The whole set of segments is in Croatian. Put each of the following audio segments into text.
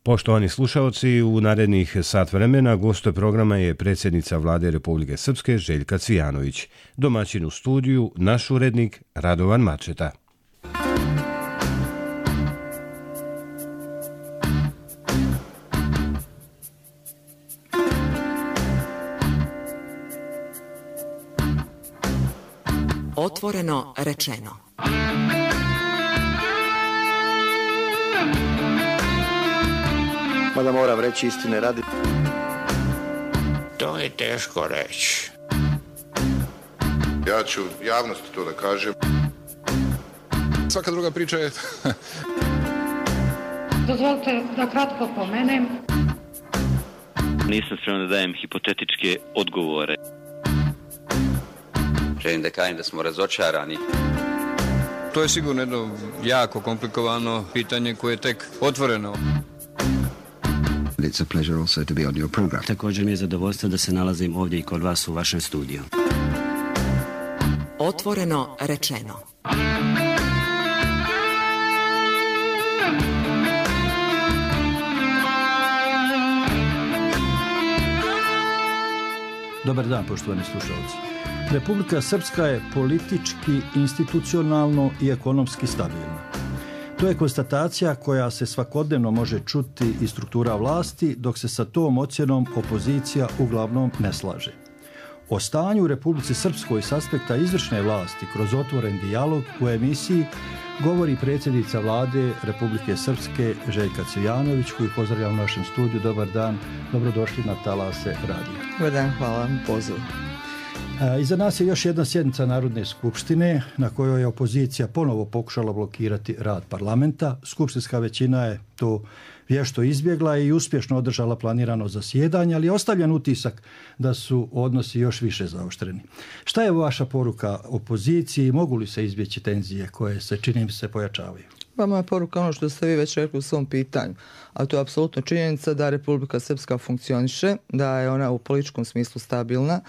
Poštovani slušaoci, u narednih sat vremena gost programa je predsjednica Vlade Republike Srpske Željka Cvijanović. Domaćin u studiju, naš urednik Radovan Mačeta. Otvoreno rečeno. Mada moram reći istine radi. To je teško reći. Ja ću javnosti to da kažem. Svaka druga priča je... Dozvolite da kratko pomenem. Nisam spreman da dajem hipotetičke odgovore. Želim da kažem da smo razočarani. To je sigurno jedno jako komplikovano pitanje koje je tek otvoreno. It's a pleasure also to be on your program. Također mi je zadovoljstvo da se nalazim ovdje i kod vas u vašem studiju. Otvoreno rečeno. Dobar dan, poštovani slušalci. Republika Srpska je politički, institucionalno i ekonomski stabilna. To je konstatacija koja se svakodnevno može čuti iz struktura vlasti, dok se sa tom ocjenom opozicija uglavnom ne slaže. O stanju u Republici Srpskoj s aspekta izvršne vlasti kroz otvoren dijalog u emisiji govori predsjednica Vlade Republike Srpske Željka Cvijanović, koju pozdravljam u našem studiju. Dobar dan, dobrodošli na Talase radija. Dobar dan, hvala vam pozivu. Iza nas je još jedna sjednica Narodne skupštine na kojoj je opozicija ponovo pokušala blokirati rad parlamenta. Skupštinska većina je to vješto izbjegla i uspješno održala planirano zasjedanje, ali je ostavljen utisak da su odnosi još više zaoštreni. Šta je vaša poruka opoziciji? Mogu li se izbjeći tenzije koje se, čini mi se, pojačavaju? Pa moja poruka ono što ste vi već rekli u svom pitanju, a to je apsolutno činjenica da Republika Srpska funkcioniše, da je ona u političkom smislu stabilna,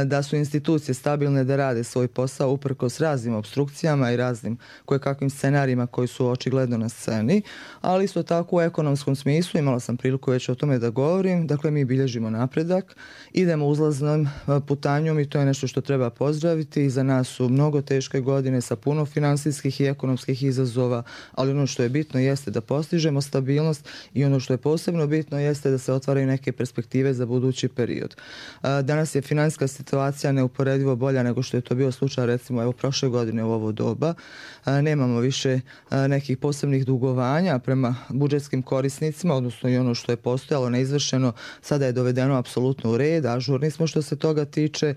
da su institucije stabilne da rade svoj posao uprkos raznim opstrukcijama i raznim kojekakvim scenarijima koji su očigledno na sceni, ali isto tako u ekonomskom smislu, imala sam priliku već o tome da govorim, dakle mi bilježimo napredak, idemo uzlaznom putanjom i to je nešto što treba pozdraviti. Iza nas su mnogo teške godine sa puno financijskih i ekonomskih izazova, ali ono što je bitno jeste da postižemo stabilnost i ono što je posebno bitno jeste da se otvaraju neke perspektive za budući period. Danas je financijska situacija neuporedivo bolja nego što je to bio slučaj recimo evo prošle godine u ovo doba. Nemamo više nekih posebnih dugovanja prema budžetskim korisnicima, odnosno i ono što je postojalo neizvršeno sada je dovedeno apsolutno u red, ažurni smo što se toga tiče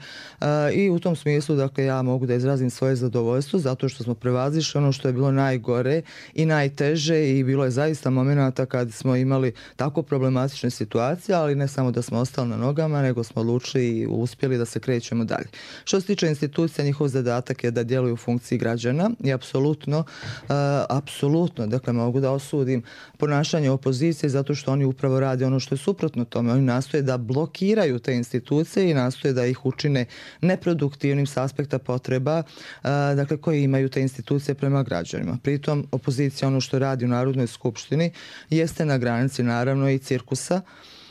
i u tom smislu dakle ja mogu da izrazim svoje zadovoljstvo zato što smo prevazišli ono što je bilo najgore i najteže i bilo je zaista momenata kad smo imali tako problematične situacije, ali ne samo da smo ostali na nogama, nego smo odlučili i uspjeli da se krećemo dalje. Što se tiče institucija, njihov zadatak je da djeluju u funkciji građana i apsolutno, dakle mogu da osudim ponašanje opozicije zato što oni upravo rade ono što je suprotno tome. Oni nastoje da blokiraju te institucije i nastoje da ih učine neproduktivnim s aspekta potreba dakle koje imaju te institucije prema građanima. Pritom opozicija ono što radi u Narodnoj skupštini jeste na granici naravno i cirkusa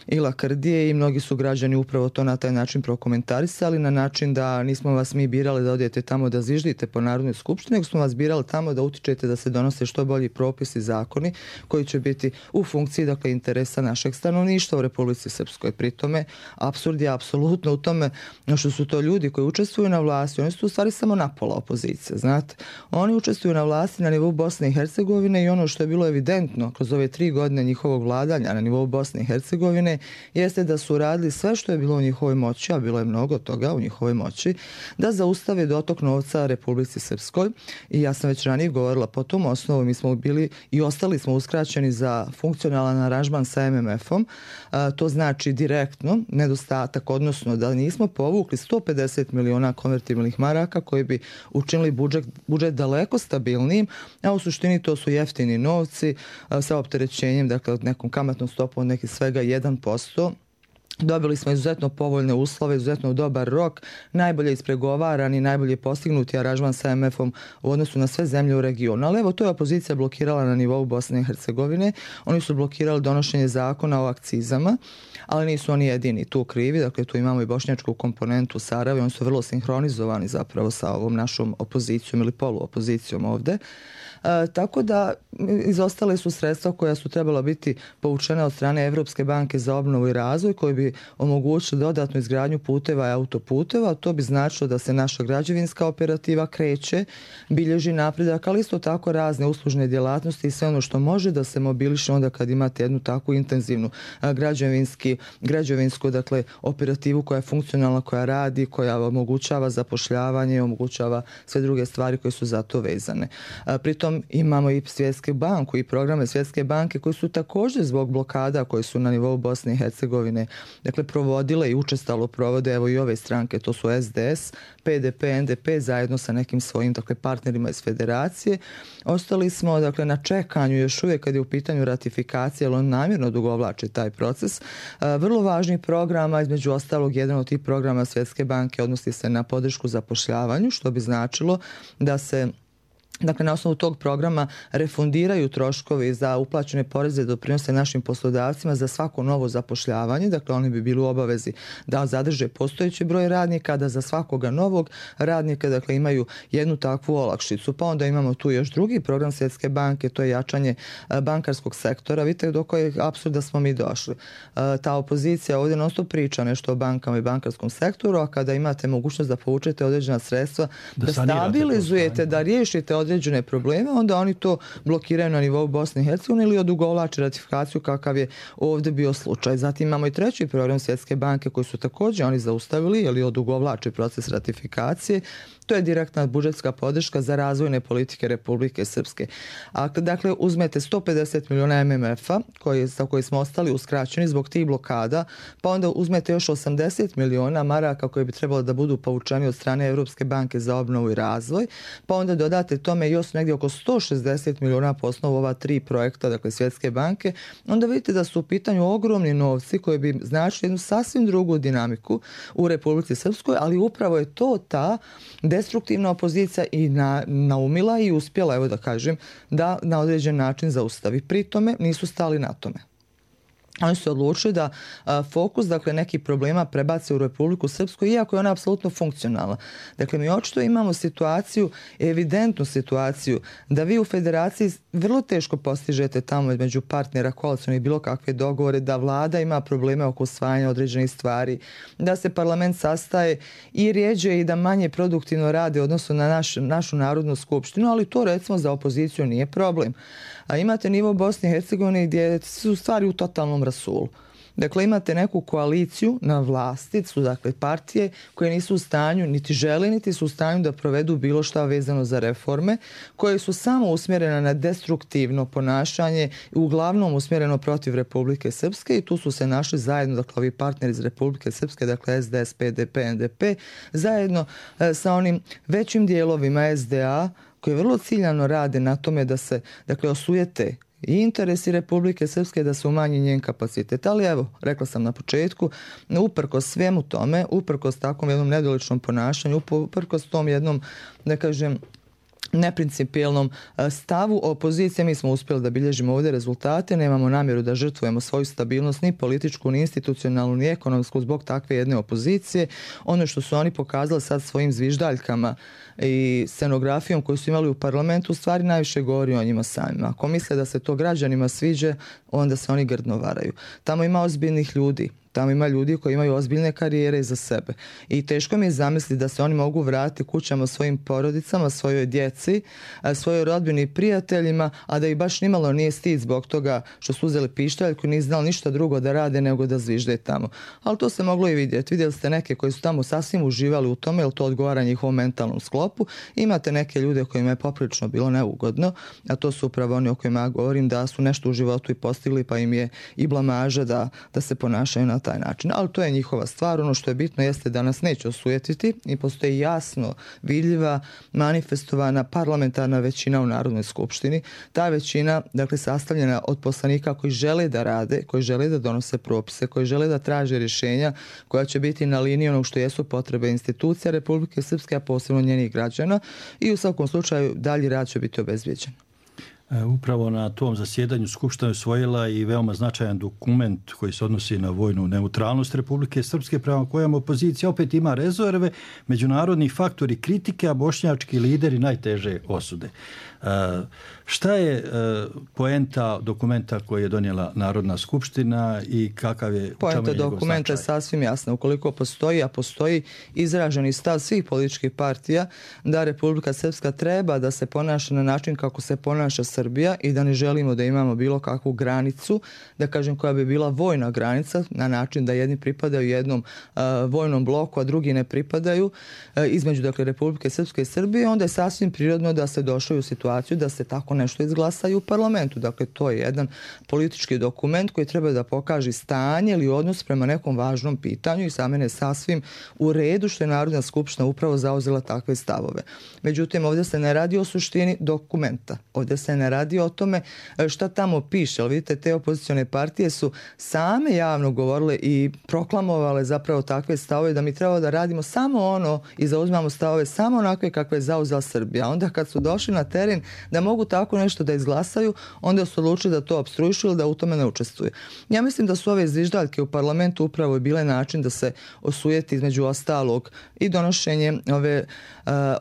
i lakrdije i mnogi su građani upravo to na taj način prokomentarisali, na način da nismo vas mi birali da odete tamo da zviždite po Narodnoj skupštini, nego smo vas birali tamo da utičete da se donose što bolji propisi, zakoni koji će biti u funkciji dakle interesa našeg stanovništva u Republici Srpskoj. Pri tome apsurd je apsolutno u tome što su to ljudi koji učestvuju na vlasti, oni su u stvari samo napola opozicije, znate. Oni učestvuju na vlasti na nivou Bosne i Hercegovine i ono što je bilo evidentno kroz ove 3 godine njihovog vladanja na nivou Bosne i Hercegovine jeste da su radili sve što je bilo u njihovoj moći, a bilo je mnogo toga u njihovoj moći, da zaustave dotok novca Republici Srpskoj. I ja sam već ranije govorila po tom osnovu, mi smo bili i ostali smo uskraćeni za funkcionalan aranžman sa MMF-om. To znači direktno nedostatak, odnosno da nismo povukli 150 miliona konvertibilnih maraka koji bi učinili budžet daleko stabilnijim, a u suštini to su jeftini novci sa opterećenjem, dakle od nekom kamatnom stopom od nekih svega 1%. Dobili smo izuzetno povoljne uslove, izuzetno dobar rok, najbolje ispregovaran i najbolje postignuti aranžman sa MF-om u odnosu na sve zemlje u regionu. Ali evo, to je opozicija blokirala na nivou Bosne i Hercegovine. Oni su blokirali donošenje zakona o akcizama, ali nisu oni jedini tu krivi. Dakle, tu imamo i bošnjačku komponentu Sarajeva. Oni su vrlo sinhronizovani zapravo sa ovom našom opozicijom ili poluopozicijom ovde. Tako da izostale su sredstva koja su trebala biti povučena od strane Evropske banke za obnovu i razvoj, koji bi omogućili dodatnu izgradnju puteva i autoputeva. To bi značilo da se naša građevinska operativa kreće, bilježi napredak, ali isto tako razne uslužne djelatnosti i sve ono što može da se mobiliše onda kad imate jednu takvu intenzivnu građevinsku dakle, operativu koja je funkcionalna, koja radi, koja omogućava zapošljavanje, omogućava sve druge stvari koje su za to vezane. Pritom imamo i Svjetsku banku i programe Svjetske banke koji su također zbog blokada koje su na nivou Bosne i Hercegovine dakle, provodile i učestalo provode, evo i ove stranke, to su SDS, PDP, NDP zajedno sa nekim svojim dakle, partnerima iz federacije. Ostali smo dakle, na čekanju još uvijek kad je u pitanju ratifikacije, jer on namjerno dugovlači taj proces. Vrlo važnih programa, između ostalog jedan od tih programa Svjetske banke odnosi se na podršku zapošljavanju, što bi značilo da se dakle, na osnovu tog programa refundiraju troškovi za uplaćene poreze i doprinose našim poslodavcima za svako novo zapošljavanje. Dakle, oni bi bili u obavezi da zadrže postojeći broj radnika, da za svakoga novog radnika dakle, imaju jednu takvu olakšicu. Pa onda imamo tu još drugi program Svjetske banke, to je jačanje bankarskog sektora. Vidite do kojeg apsurda smo mi došli. Ta opozicija ovdje non stop priča nešto o bankama i bankarskom sektoru, a kada imate mogućnost da povučete određena sredstva, da stabilizujete, da riješite određene probleme, onda oni to blokiraju na nivou Bosne i Hercegovine ili odugovlače ratifikaciju kakav je ovdje bio slučaj. Zatim imamo i treći program Svjetske banke koji su također oni zaustavili ili odugovlače proces ratifikacije. To je direktna budžetska podrška za razvojne politike Republike Srpske. A dakle, uzmete 150 milijuna MMF-a za koje smo ostali uskraćeni zbog tih blokada, pa onda uzmete još 80 milijuna maraka koje bi trebalo da budu povučeni od strane Evropske banke za obnovu i razvoj, pa onda dodate tome još negdje oko 160 milijuna po osnovu ova tri projekta, dakle Svjetske banke, onda vidite da su u pitanju ogromni novci koji bi značili jednu sasvim drugu dinamiku u Republici Srpskoj, ali upravo je to ta destruktivna opozicija i naumila i uspjela, evo da kažem, da na određen način zaustavi. Pri tome nisu stali na tome. Oni su odlučili da fokus, dakle, nekih problema prebace u Republiku Srpsku, iako je ona apsolutno funkcionalna. Dakle, mi očito imamo situaciju, evidentnu situaciju, da vi u federaciji vrlo teško postižete tamo između partnera koalicionih bilo kakve dogovore, da vlada ima probleme oko usvajanja određenih stvari, da se parlament sastaje i rjeđe i da manje produktivno rade odnosno na našu narodnu skupštinu, ali to recimo za opoziciju nije problem. A imate nivo Bosne i Hercegovine gdje su stvari u totalnom rasulu. Dakle, imate neku koaliciju na vlasti, su dakle partije koje nisu u stanju, niti žele, niti su u stanju da provedu bilo šta vezano za reforme, koje su samo usmjerene na destruktivno ponašanje, uglavnom usmjereno protiv Republike Srpske i tu su se našli zajedno, dakle, ovi partneri iz Republike Srpske, dakle SDS, PDP, NDP, zajedno sa onim većim dijelovima SDA, koji vrlo ciljano rade na tome da se, dakle, osujete i interesi Republike Srpske, da se umanji njen kapacitet. Ali evo, rekla sam na početku, uprkos svemu tome, uprkos takvom jednom nedoličnom ponašanju, uprkos tom jednom, da kažem, neprincipijelnom stavu opozicije, mi smo uspjeli da bilježimo ovdje rezultate, nemamo namjeru da žrtvujemo svoju stabilnost ni političku, ni institucionalnu, ni ekonomsku zbog takve jedne opozicije. Ono što su oni pokazali sad svojim zviždaljkama i scenografijom koju su imali u parlamentu, u stvari najviše govori o njima samima. Ako misle da se to građanima sviđa, onda se oni grdno varaju. Tamo ima ozbiljnih ljudi. Tamo ima ljudi koji imaju ozbiljne karijere iza sebe. I teško mi je zamisliti da se oni mogu vratiti kućama svojim porodicama, svojoj djeci, svojoj rodbini i prijateljima, a da ih baš nimalo nije stid zbog toga što su uzeli pištolj koji nisu znali ništa drugo da rade nego da zvižde tamo. Ali to se moglo i vidjeti. Vidjeli ste neke koji su tamo sasvim uživali u tome, jer to odgovara njihovom mentalnom sklopu. Imate neke ljude kojima je poprilično bilo neugodno, a to su upravo oni o kojima ja govorim, da su nešto u životu i postigli, pa im je i blamaža da se ponašaju na taj način. Ali to je njihova stvar. Ono što je bitno jeste da nas neće osujetiti i postoji jasno vidljiva manifestovana parlamentarna većina u Narodnoj skupštini. Ta većina, dakle, sastavljena od poslanika koji žele da rade, koji žele da donose propise, koji žele da traže rješenja koja će biti na liniji onog što jesu potrebe institucija Republike Srpske, a posebno njenih građana, i u svakom slučaju dalji rad će biti obezbijeđen. Upravo na tom zasjedanju Skupština je usvojila i veoma značajan dokument koji se odnosi na vojnu neutralnost Republike Srpske, prema kojem opozicija opet ima rezerve, međunarodni faktori kritike, a bošnjački lideri najteže osude. Šta je poenta dokumenta koji je donijela Narodna skupština i kakav je poenta dokumenta je sasvim jasna. Ukoliko postoji, a postoji izraženi stav svih političkih partija da Republika Srpska treba da se ponaša na način kako se ponaša Srbija i da ne želimo da imamo bilo kakvu granicu, da kažem koja bi bila vojna granica, na način da jedni pripadaju jednom vojnom bloku, a drugi ne pripadaju, između, dakle, Republike Srpske i Srbije, onda je sasvim prirodno da se došlo u situaciju da se tako nešto izglasa i u parlamentu. Dakle, to je jedan politički dokument koji treba da pokaže stanje ili odnos prema nekom važnom pitanju i za mene je sasvim u redu što je Narodna skupština upravo zauzela takve stavove. Međutim, ovdje se ne radi o suštini dokumenta. Ovdje se ne radi o tome šta tamo piše. Ali vidite, te opozicione partije su same javno govorile i proklamovale zapravo takve stavove da mi treba da radimo samo ono i zauzmamo stavove samo onakve kakve je zauzela Srbija. Onda kad su došli na teren da mogu tako nešto da izglasaju, onda su odlučili da to opstruišu ili da u tome ne učestvuju. Ja mislim da su ove zviždaljke u parlamentu upravo bile način da se osujeti između ostalog i donošenje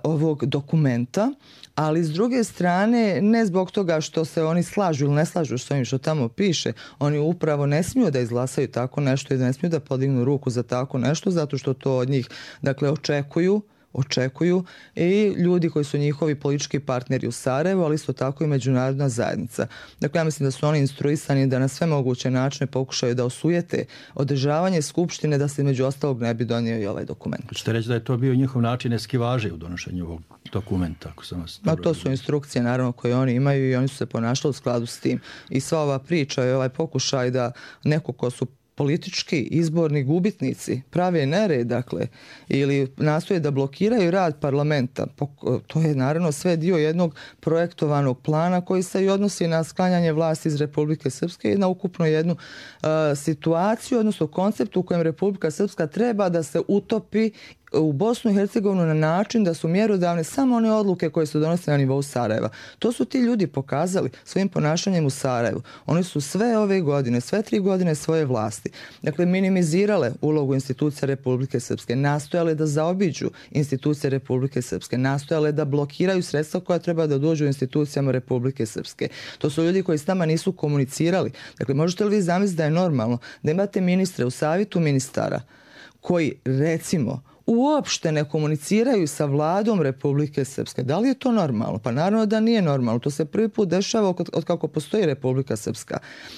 ovog dokumenta, ali s druge strane ne zbog toga što se oni slažu ili ne slažu s ovim što tamo piše, oni upravo ne smiju da izglasaju tako nešto i da ne smiju da podignu ruku za tako nešto, zato što to od njih, dakle, očekuju i ljudi koji su njihovi politički partneri u Sarajevu, ali isto tako i međunarodna zajednica. Dakle, ja mislim da su oni instruisani da na sve moguće načine pokušaju da osujete održavanje skupštine, da se među ostalog ne bi donio i ovaj dokument. Hoćete reći da je to bio njihov način eskivaže u donošenju ovog dokumenta? Ako sam vas to su instrukcije naravno koje oni imaju i oni su se ponašali u skladu s tim. I sva ova priča i ovaj pokušaj da neko ko su politički izborni gubitnici prave nered, dakle, ili nastoje da blokiraju rad parlamenta. To je naravno sve dio jednog projektovanog plana koji se i odnosi na sklanjanje vlasti iz Republike Srpske i na ukupno jednu situaciju, odnosno koncept u kojem Republika Srpska treba da se utopi u Bosnu i Hercegovinu na način da su mjerodavne samo one odluke koje se donose na nivou Sarajeva. To su ti ljudi pokazali svojim ponašanjem u Sarajevu. Oni su sve ove godine, sve 3 godine svoje vlasti, dakle, minimizirale ulogu institucija Republike Srpske, nastojale da zaobiđu institucije Republike Srpske, nastojale da blokiraju sredstva koja treba da dođu u institucijama Republike Srpske. To su ljudi koji s nama nisu komunicirali. Dakle, možete li vi zamisliti da je normalno da imate ministre u savjetu ministara koji, recimo, uopšte ne komuniciraju sa vladom Republike Srpske? Da li je to normalno? Pa naravno da nije normalno. To se prvi put dešava od kako postoji Republika Srpska.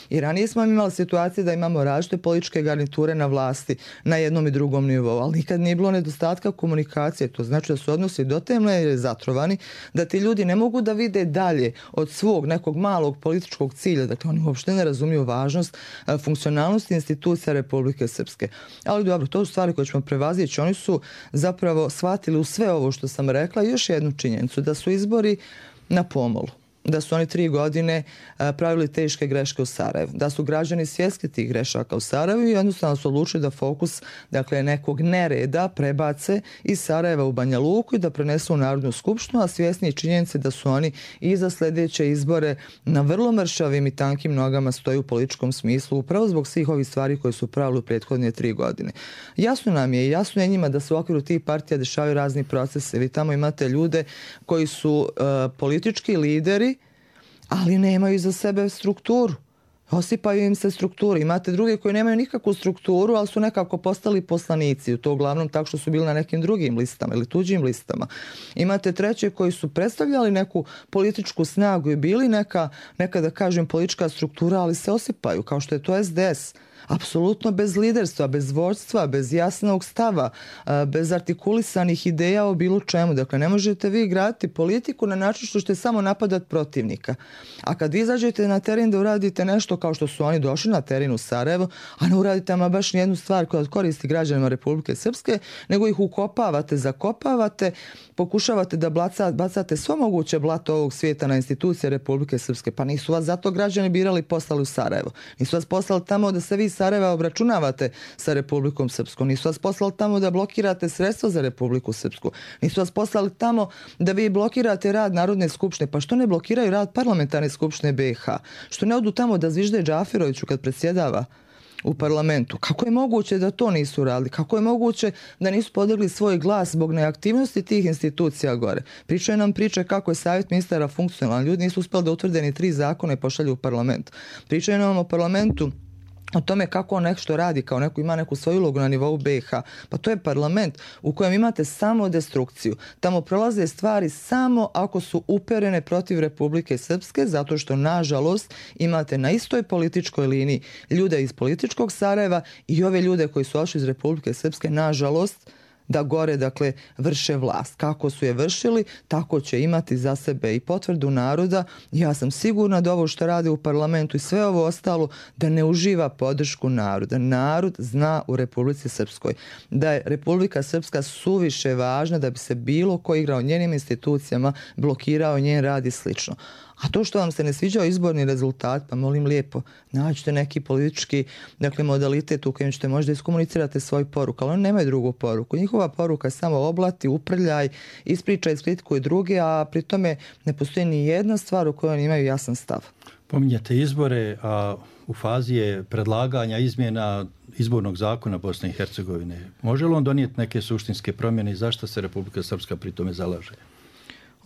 I ranije smo imali situacije da imamo različite političke garniture na vlasti na jednom i drugom nivou, ali nikad nije bilo nedostatka komunikacije. To znači da su odnosi do te mjere zatrovani da ti ljudi ne mogu da vide dalje od svog nekog malog političkog cilja. Dakle, oni uopšte ne razumiju važnost funkcionalnosti institucija Republike Srpske. Ali dobro, to su stvari koje ćemo prevazići. Oni su zapravo shvatili u sve ovo što sam rekla još jednu činjenicu, da su izbori na pomolu, da su oni 3 godine pravili teške greške u Sarajevu, da su građani svjesni tih grešaka u Sarajevu i jednostavno su odlučili da fokus, dakle, nekog nereda prebace iz Sarajeva u Banja Luku i da prenesu u Narodnu skupštinu, a svjesni činjenice da su oni i za sljedeće izbore na vrlo mršavim i tankim nogama stoji u političkom smislu, upravo zbog svih ovih stvari koje su pravili u prethodne 3 godine. Jasno nam je i jasno je njima da se u okviru tih partija dešavaju razni procese. Vi tamo imate ljude koji su politički lideri, ali nemaju iza sebe strukturu. Osipaju im se strukturi. Imate druge koji nemaju nikakvu strukturu, ali su nekako postali poslanici. To uglavnom tako što su bili na nekim drugim listama ili tuđim listama. Imate treće koji su predstavljali neku političku snagu i bili neka da kažem politička struktura, ali se osipaju, kao što je to SDS. Apsolutno bez liderstva, bez vođstva, bez jasnog stava, bez artikulisanih ideja o bilo čemu. Dakle, ne možete vi graditi politiku na način što ćete samo napadati protivnika. A kad izađete na teren da uradite nešto isto kao što su oni došli na teren u Sarajevo, a ne uradite ama baš nijednu stvar koja koristi građanima Republike Srpske, nego ih ukopavate, zakopavate, pokušavate da bacate svo moguće blato ovog svijeta na institucije Republike Srpske. Pa nisu vas zato građani birali, poslali u Sarajevo. Nisu vas poslali tamo da se vi iz Sarajeva obračunavate sa Republikom Srpskom. Nisu vas poslali tamo da blokirate sredstva za Republiku Srpsku. Nisu vas poslali tamo da vi blokirate rad Narodne skupštine. Pa što ne blokiraju rad Parlamentarne skupštine BiH? Što ne odu tamo da zvižde Džafiroviću kad predsjedava u parlamentu? Kako je moguće da to nisu radili? Kako je moguće da nisu podigli svoj glas zbog neaktivnosti tih institucija gore? Pričaju nam priče kako je savjet ministara funkcionalan. Ljudi nisu uspjeli da utvrde ni 3 zakona i pošalju u parlament. Pričaju nam o parlamentu, o tome kako on nešto radi, kao neko ima neku svoju ulogu na nivou BiH. Pa to je parlament u kojem imate samo destrukciju. Tamo prolaze stvari samo ako su uperene protiv Republike Srpske, zato što nažalost imate na istoj političkoj liniji ljude iz političkog Sarajeva i ove ljude koji su ošli iz Republike Srpske, nažalost, da gore, dakle, vrše vlast. Kako su je vršili, tako će imati za sebe i potvrdu naroda. Ja sam sigurna da ovo što rade u parlamentu i sve ovo ostalo, da ne uživa podršku naroda. Narod zna u Republici Srpskoj da je Republika Srpska suviše važna da bi se bilo ko igrao njenim institucijama, blokirao njen rad i slično. A to što vam se ne sviđao izborni rezultat, pa molim lijepo, nađite neki politički, dakle, modalitet u kojem ćete možda iskomunicirate svoj poruku, ali oni nemaju drugu poruku. Njihova poruka je samo oblati, uprljaj, ispričaj, iskritikuj druge, a pri tome ne postoji ni jedna stvar u kojoj oni imaju jasan stav. Pominjate izbore, a u fazi je predlaganja izmjena izbornog zakona Bosne i Hercegovine. Može li on donijeti neke suštinske promjene i zašto se Republika Srpska pri tome zalaže?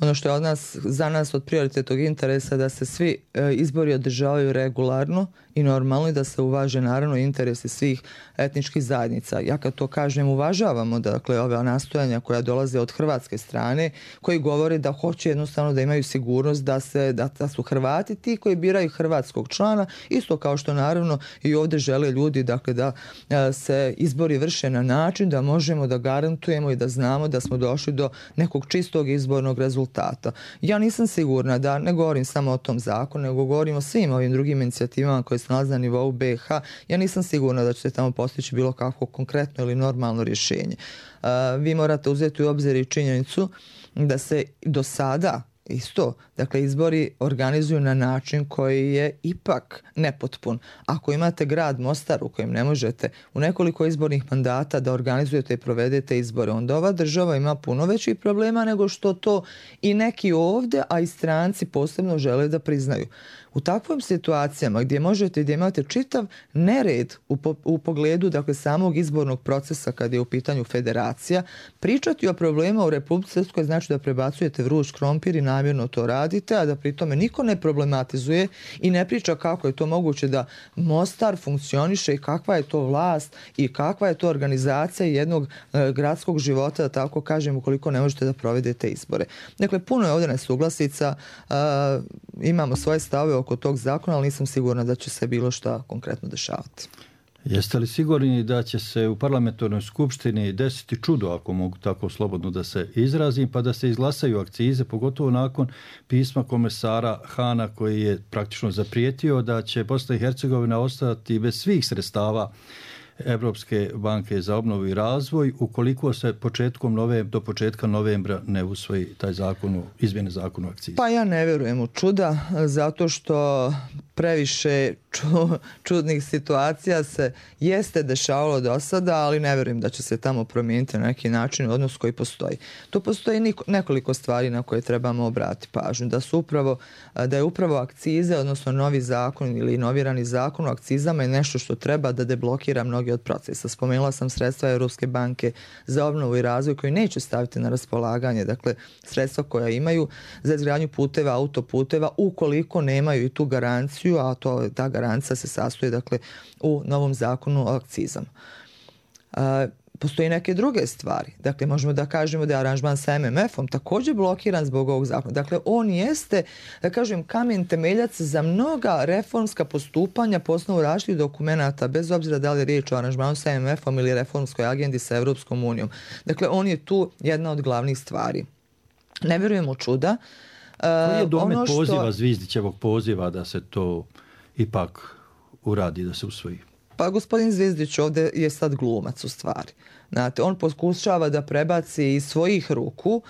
Ono što je za nas od prioritetnog interesa da se svi izbori održavaju regularno i normalno i da se uvaže naravno interesi svih etničkih zajednica. Ja kad to kažem, uvažavamo dakle ove nastojanja koja dolaze od hrvatske strane, koji govore da hoće jednostavno da imaju sigurnost da su Hrvati ti koji biraju hrvatskog člana, isto kao što naravno i ovdje žele ljudi dakle da se izbori vrše na način da možemo da garantujemo i da znamo da smo došli do nekog čistog izbornog rezultata. Ja nisam sigurna, da ne govorim samo o tom zakonu, nego govorim o svim ovim drugim inicijativama koje se nalaze na nivou BiH. Ja nisam sigurna da će se tamo postići bilo kakvo konkretno ili normalno rješenje. Vi morate uzeti u obzir i činjenicu da se do sada isto, dakle, izbori organizuju na način koji je ipak nepotpun. Ako imate grad Mostar u kojem ne možete u nekoliko izbornih mandata da organizujete i provedete izbore, onda ova država ima puno većih problema nego što to i neki ovdje, a i stranci posebno žele da priznaju. U takvim situacijama gdje imate čitav nered u pogledu dakle, samog izbornog procesa kad je u pitanju federacija, pričati o problema u Republici Srpskoj znači da prebacujete vruć krompir i namjerno to radite, a da pri tome niko ne problematizuje i ne priča kako je to moguće da Mostar funkcioniše i kakva je to vlast i kakva je to organizacija jednog gradskog života, da tako kažem, ukoliko ne možete da provedete izbore. Dakle, puno je ovdje nesuglasica, imamo svoje stavove oko tog zakona, ali nisam sigurna da će se bilo šta konkretno dešavati. Jeste li sigurni da će se u parlamentarnoj skupštini desiti čudo, ako mogu tako slobodno da se izrazim, pa da se izglasaju akcize, pogotovo nakon pisma komesara Hana koji je praktično zaprijetio da će Bosna i Hercegovina ostati bez svih sredstava Evropske banke za obnovu i razvoj ukoliko se do početka novembra ne usvoji taj zakon, izmjene zakona o akciji? Pa ja ne vjerujem u čuda, zato što previše čudnih situacija se jeste dešavalo do sada, ali ne vjerujem da će se tamo promijeniti na neki način odnos koji postoji. Tu postoji nekoliko stvari na koje trebamo obratiti pažnju. Da je upravo akcize, odnosno novi zakon ili novirani zakon o akcizama je nešto što treba da deblokira mnogi od procesa. Spomenula sam sredstva Europske banke za obnovu i razvoj koji neće staviti na raspolaganje, dakle sredstva koja imaju za izgradnju puteva, autoputeva, ukoliko nemaju i tu garanciju, a ta garancija se sastoji dakle u novom zakonu o akcizama. Postoji neke druge stvari. Dakle, možemo da kažemo da je aranžman sa MMF-om također blokiran zbog ovog zakona. Dakle, on jeste, da kažem, kamen temeljac za mnoga reformska postupanja po osnovu različitih dokumenata, bez obzira da li je riječ o aranžmanu sa MMF-om ili reformskoj agendi sa Evropskom unijom. Dakle, on je tu jedna od glavnih stvari. Ne vjerujem u čuda. Koji je domet poziva, Zvizdićevog poziva da se to ipak uradi, da se usvoji? Pa gospodin Zvizdić ovdje je sad glumac u stvari. Znate, on pokušava da prebaci iz svojih ruku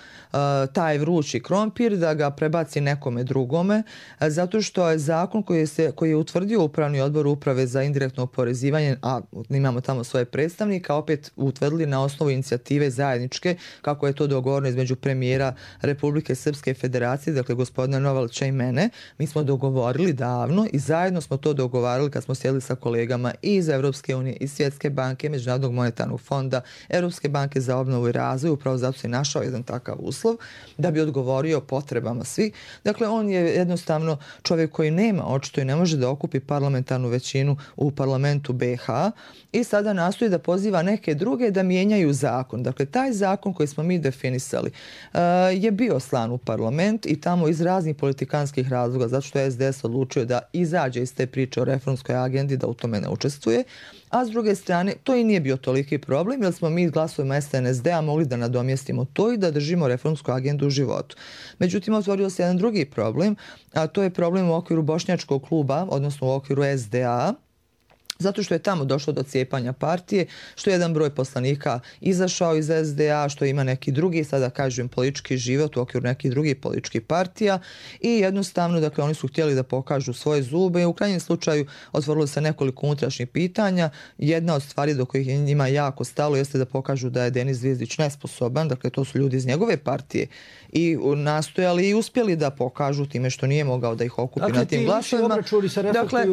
taj vrući krompir, da ga prebaci nekome drugome, zato što je zakon koji je utvrdio Upravni odbor Uprave za indirektno oporezivanje, a imamo tamo svoje predstavnika, opet utvrdili na osnovu inicijative zajedničke, kako je to dogovoreno između premijera Republike Srpske Federacije, dakle gospodina Novalča i mene. Mi smo dogovorili davno i zajedno smo to dogovarali kad smo sjedili sa kolegama i iz Europske unije, iz Svjetske banke, Međunarodnog monetarnog fonda, Europske banke za obnovu i razvoj, upravo zato se i našao jedan takav uslov da bi odgovorio potrebama svih. Dakle, on je jednostavno čovjek koji nema očito i ne može da okupi parlamentarnu većinu u parlamentu BiH i sada nastoji da poziva neke druge da mijenjaju zakon. Dakle, taj zakon koji smo mi definisali je bio slan u parlament i tamo iz raznih politikanskih razloga, zato što je SDS odlučio da izađe iz te priče o reformskoj agendi, da u tome ne učestvuje. A s druge strane, to i nije bio toliki problem, jer smo mi glasovima SNSD-a mogli da nadomjestimo to i da držimo reformsku agendu u životu. Međutim, otvorio se jedan drugi problem, a to je problem u okviru Bošnjačkog kluba, odnosno u okviru SDA, zato što je tamo došlo do cijepanja partije, što je jedan broj poslanika izašao iz SDA, što ima neki drugi, sada kažem, politički život u okviru nekih drugih političkih partija i jednostavno, dakle, oni su htjeli da pokažu svoje zube i u krajnjem slučaju otvorilo se nekoliko unutrašnjih pitanja. Jedna od stvari do kojih je njima jako stalo jeste da pokažu da je Denis Zvizdić nesposoban, dakle, to su ljudi iz njegove partije i nastojali i uspjeli da pokažu time što nije mogao da ih okupi na tim glasovima. Dakle,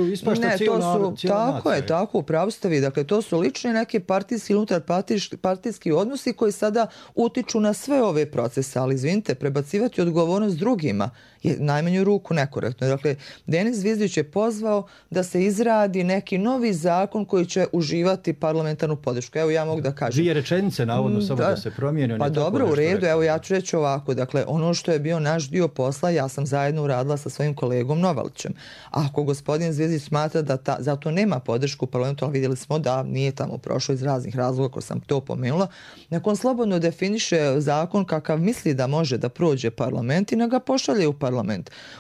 tako, upravo ste vi. Dakle, to su lični neki partijski, unutarpartijski odnosi koji sada utiču na sve ove procese, ali izvinite, prebacivati odgovornost drugima je najmanju ruku nekorektno. Dakle, Denis Zvizdić je pozvao da se izradi neki novi zakon koji će uživati parlamentarnu podršku. Evo, ja mogu da kažem. 2 rečenice, navodno, samo da se promijeni. Pa dobro, u redu, evo ja ću reći ovako. Dakle, ono što je bio naš dio posla, ja sam zajedno uradila sa svojim kolegom Novalčem. Ako gospodin Zvizdić smatra da zato nema podršku u parlamentu, ali vidjeli smo da nije tamo prošlo iz raznih razloga, ako sam to pomenula, nakon slobodno definiše zakon kakav misli da može da prođe parlament i na ga pošalje u parlament.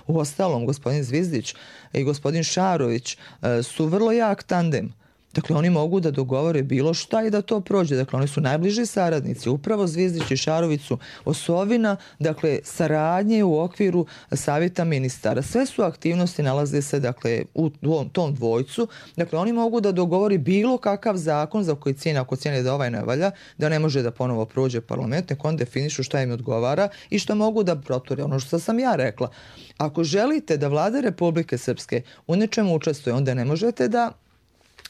Uostalom, gospodin Zvizdić i gospodin Šarović su vrlo jak tandem. Dakle, oni mogu da dogovore bilo šta i da to prođe. Dakle, oni su najbliži saradnici. Upravo Zvizdić i Šarović su osovina, dakle, saradnje u okviru savjeta ministara. Sve su aktivnosti nalaze se, dakle, u tom dvojcu. Dakle, oni mogu da dogovori bilo kakav zakon za koji cijene, ako cijene da ovaj ne valja, da ne može da ponovo prođe parlament, nek on definišu šta im odgovara i šta mogu da proture. Ono što sam ja rekla. Ako želite da vlada Republike Srpske u nečemu učestvuje, onda ne možete da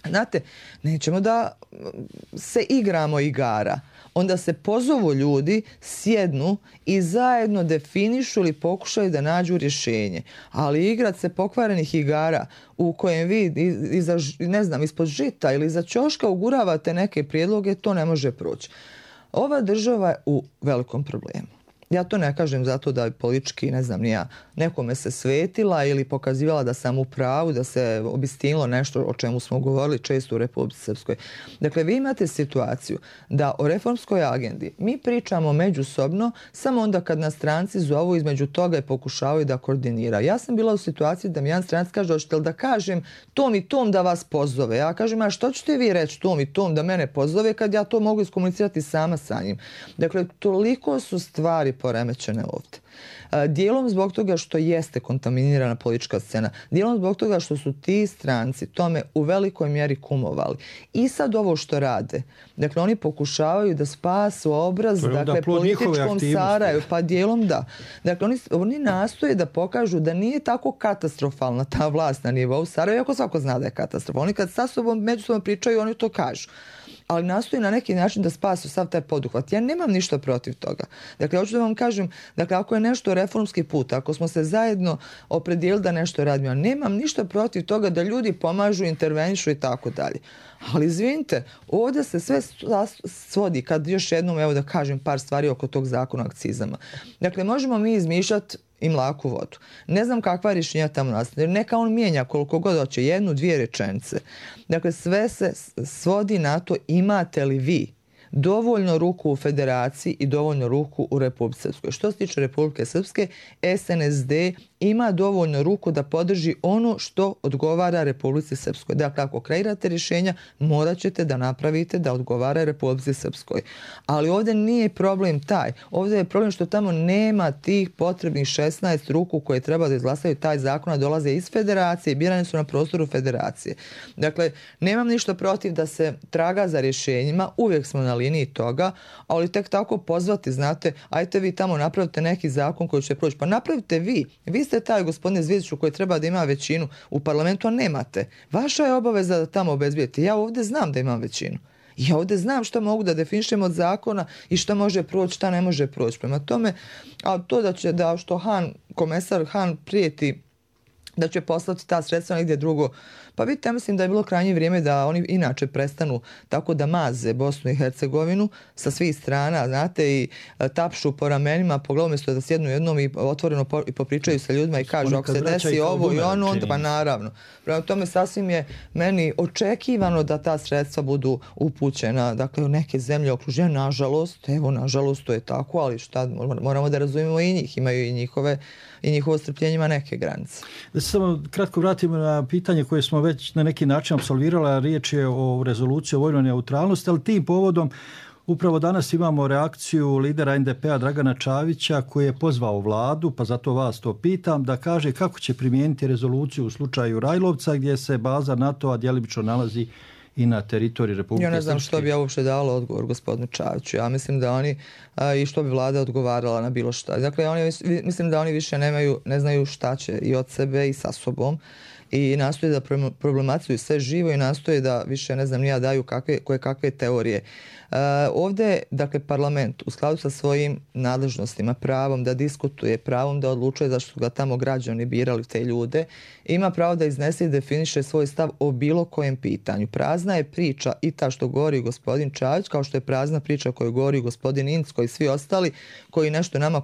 znate, nećemo da se igramo igara. Onda se pozovu ljudi, sjednu i zajedno definišu ili pokušaju da nađu rješenje. Ali igrat se pokvarenih igara u kojem vi ispod žita ili iza ćoška uguravate neke prijedloge, to ne može proći. Ova država je u velikom problemu. Ja to ne kažem zato da politički, nekome se svetila ili pokazivala da sam u pravu, da se obistinilo nešto o čemu smo govorili često u Republici Srpskoj. Dakle, vi imate situaciju da o reformskoj agendi mi pričamo međusobno samo onda kad nas stranci zovu između toga i pokušavaju da koordiniraju. Ja sam bila u situaciji da mi jedan stranac kaže, hoćete li da kažem tom i tom da vas pozove? Ja kažem, a što ćete vi reći tom i tom da mene pozove kad ja to mogu iskomunicirati sama sa njim? Dakle, toliko su stvari poremećene ovdje. Dijelom zbog toga što jeste kontaminirana politička scena, dijelom zbog toga što su ti stranci tome u velikoj mjeri kumovali. I sad ovo što rade, dakle oni pokušavaju da spasu obraz, dakle političkom Sarajevu, pa dijelom da. Dakle oni nastoje da pokažu da nije tako katastrofalna ta vlast na nivou Sarajeva, iako svako zna da je katastrofalna. Oni kad sa sobom međusobno pričaju, oni to kažu. Ali nastoji na neki način da spasu sav taj poduhvat. Ja nemam ništa protiv toga. Dakle, hoću da vam kažem, dakle, ako je nešto reformski put, ako smo se zajedno opredijelili da nešto radimo, ja nemam ništa protiv toga da ljudi pomažu, intervenišu i tako dalje. Ali izvinite, ovdje se sve svodi, kad još jednom, evo da kažem par stvari oko tog zakona o akcizama. Dakle, možemo mi izmišljati i mlaku vodu. Ne znam kakva rješenja tamo nastaje. Neka on mijenja koliko god hoće, 1-2 rečenice. Dakle, sve se svodi na to imate li vi dovoljno ruku u federaciji i dovoljno ruku u Republike Srpskoj. Što se tiče Republike Srpske, SNSD ima dovoljno ruku da podrži ono što odgovara Republici Srpskoj. Dakle, ako kreirate rješenja, morat ćete da napravite da odgovara Republici Srpskoj. Ali ovdje nije problem taj. Ovdje je problem što tamo nema tih potrebnih 16 ruku koje treba da izglasaju taj zakon, a dolaze iz federacije i birani su na prostoru federacije. Dakle, nemam ništa protiv da se traga za rješenjima, uvijek smo na liniji toga, ali tek tako pozvati, znate, ajte vi tamo napravite neki zakon koji će proći. Pa napravite vi. Vi ste taj, gospodine Zvizdiću, koji treba da ima većinu u parlamentu, a nemate. Vaša je obaveza da tamo obezbijete. Ja ovdje znam da imam većinu. Ja ovdje znam što mogu da definišem od zakona i što može proći, šta ne može proći. Prema tome, a to da što komesar Han prijeti da će poslati ta sredstva negdje drugo. Pa vidite, ja mislim da je bilo krajnje vrijeme da oni inače prestanu tako da maze Bosnu i Hercegovinu sa svih strana, znate, i tapšu po ramenima, po glavu, umjesto da sjednu jednom i otvoreno i popričaju sa ljudima i kažu ako se desi ovo i ono, onda pa naravno. Prema tome sasvim je meni očekivano da ta sredstva budu upućena, dakle, u neke zemlje okruženja, nažalost, evo, nažalost, to je tako, ali šta, moramo da razumijemo i njih, imaju i njihovo strpljenje ima neke granice. Da se samo kratko vratimo na pitanje koje smo već na neki način apsolvirali, a riječ je o rezoluciji o vojnoj neutralnosti, ali tim povodom upravo danas imamo reakciju lidera NDP-a Dragana Čavića koji je pozvao vladu, pa zato vas to pitam, da kaže kako će primijeniti rezoluciju u slučaju Rajlovca gdje se baza NATO-a djelimično nalazi i na teritoriji Republike Srpske. Ja ne znam što bi ja uopšte dala odgovor gospodinu Čaviću. Ja mislim da oni i što bi vlada odgovarala na bilo šta. Dakle, mislim da oni više ne znaju šta će i od sebe i sa sobom i nastoje da problematizuju sve živo i nastoje da više, ne znam, ja daju kakve teorije. Ovdje, dakle, parlament u skladu sa svojim nadležnostima, pravom da diskutuje, pravom da odlučuje zašto su ga tamo građani birali te ljude, ima pravo da iznese i definiše svoj stav o bilo kojem pitanju. Prazna je priča i ta što govori gospodin Čavić, kao što je prazna priča koju govori gospodin Incko i svi ostali koji nešto nama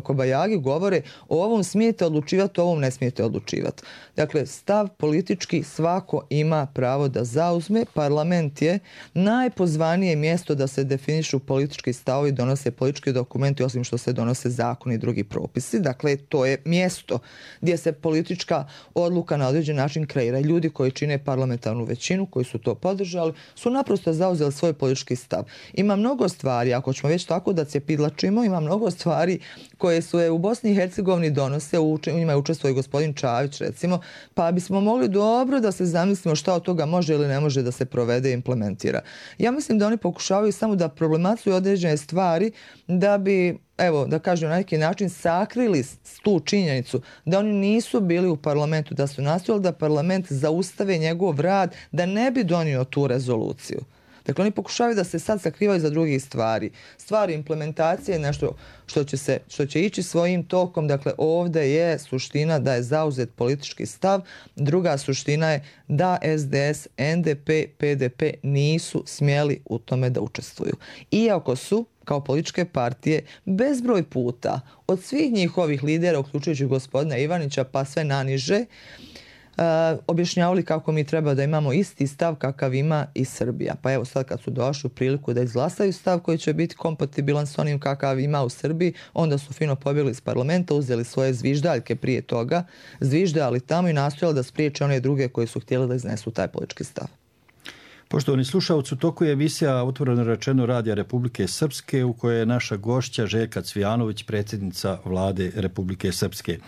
kobajagi govore, o ovom smijete odlučivati, o ovom ne smijete odlučivati. Dakle, stav politički svako ima pravo da zauzme. Parlament je najpozvanije mjesto da se definišu politički stavovi, donose politički dokumenti, osim što se donose zakoni i drugi propisi. Dakle, to je mjesto gdje se politička odluka na određen način kreira. Ljudi koji čine parlamentarnu većinu, koji su to podržali, su naprosto zauzeli svoj politički stav. Ima mnogo stvari, ako ćemo već tako da cijepidlačimo, ima mnogo stvari koje su u Bosni i Hercegovini donose, u njima je učestvovao i gospodin Čavić, recimo, pa bismo mogli dobro da se zamislimo šta od toga može ili ne može da se provede i implementira. Ja mislim da oni pokušavaju samo da problematizuju određene stvari da bi, evo, da kažem, na neki način sakrili tu činjenicu da oni nisu bili u parlamentu, da su nastojali da parlament zaustave njegov rad, da ne bi donio tu rezoluciju. Dakle, oni pokušavaju da se sad sakrivaju za drugih stvari. Stvari implementacije je nešto što će ići svojim tokom. Dakle, ovdje je suština da je zauzet politički stav. Druga suština je da SDS, NDP, PDP nisu smjeli u tome da učestvuju. Iako su kao političke partije bezbroj puta od svih njihovih lidera, uključujući gospodina Ivanića pa sve naniže, objašnjavali kako mi treba da imamo isti stav kakav ima i Srbija. Pa evo sad kad su došli u priliku da izglasaju stav koji će biti kompatibilan s onim kakav ima u Srbiji, onda su fino pobjegli iz parlamenta, uzeli svoje zviždaljke prije toga, zviždali tamo i nastojali da spriječe one druge koji su htjeli da iznesu taj politički stav. Poštovani slušalci, u toku je emisija Otvoreno rečeno Radija Republike Srpske u kojoj je naša gošća Željka Cvijanović, predsjednica vlade Republike Srpske.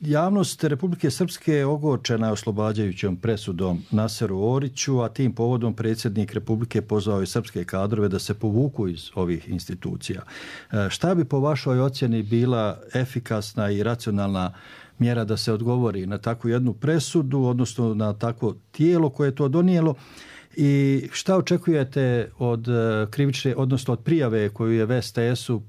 Javnost Republike Srpske ogorčena je oslobađajućom presudom Naseru Oriću, a tim povodom predsjednik Republike pozvao i srpske kadrove da se povuku iz ovih institucija. Šta bi po vašoj ocjeni bila efikasna i racionalna mjera da se odgovori na takvu jednu presudu, odnosno na takvo tijelo koje je to donijelo? I šta očekujete od krivične, odnosno od prijave koju je VSTS-u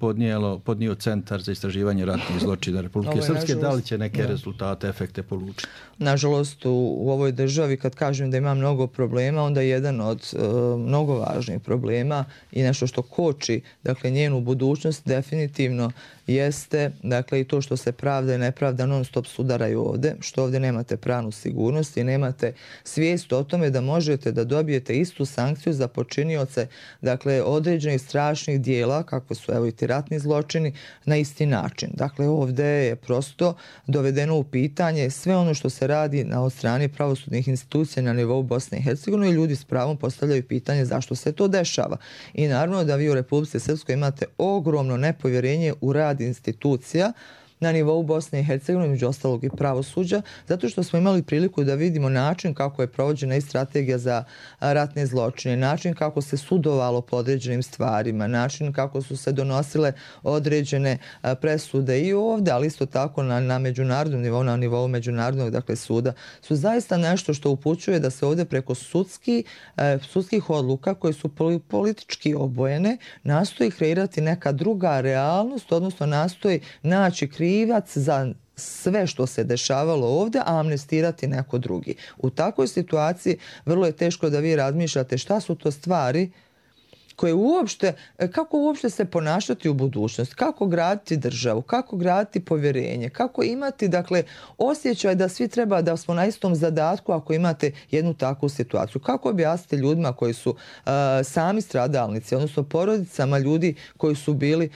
podnio Centar za istraživanje ratnih zločina Republike Srpske? Da li će neke rezultate, efekte polučiti? Nažalost, u ovoj državi kad kažem da ima mnogo problema, onda jedan od mnogo važnih problema i nešto što koči, dakle, njenu budućnost definitivno jeste, dakle, i to što se pravda i nepravda non stop sudaraju ovdje, što ovdje nemate pravnu sigurnost i nemate svijest o tome da možete da dobijete dobijete istu sankciju za počinioce, dakle, određenih strašnih dijela, kako su evo i ti ratni zločini, na isti način. Dakle, ovdje je prosto dovedeno u pitanje sve ono što se radi od strane pravosudnih institucija na nivou Bosne i Hercegovine i ljudi s pravom postavljaju pitanje zašto se to dešava. I naravno da vi u Republici Srpskoj imate ogromno nepovjerenje u rad institucija na nivou Bosne i Hercegovine, među ostalog i pravosuđa, zato što smo imali priliku da vidimo način kako je provođena i strategija za ratne zločine, način kako se sudovalo po određenim stvarima, način kako su se donosile određene presude i ovdje, ali isto tako na međunarodnom nivou, na nivou međunarodnog, dakle, suda, su zaista nešto što upućuje da se ovdje preko sudskih odluka koje su politički obojene nastoji kreirati neka druga realnost, odnosno nastoji naći krivac za sve što se dešavalo ovdje, a amnestirati neko drugi. U takvoj situaciji vrlo je teško da vi razmišljate šta su to stvari koje uopšte, kako uopšte se ponašati u budućnosti, kako graditi državu, kako graditi povjerenje, kako imati, dakle, osjećaj da svi treba da smo na istom zadatku ako imate jednu takvu situaciju. Kako objasniti ljudima koji su sami stradalnici, odnosno porodicama ljudi koji su bili,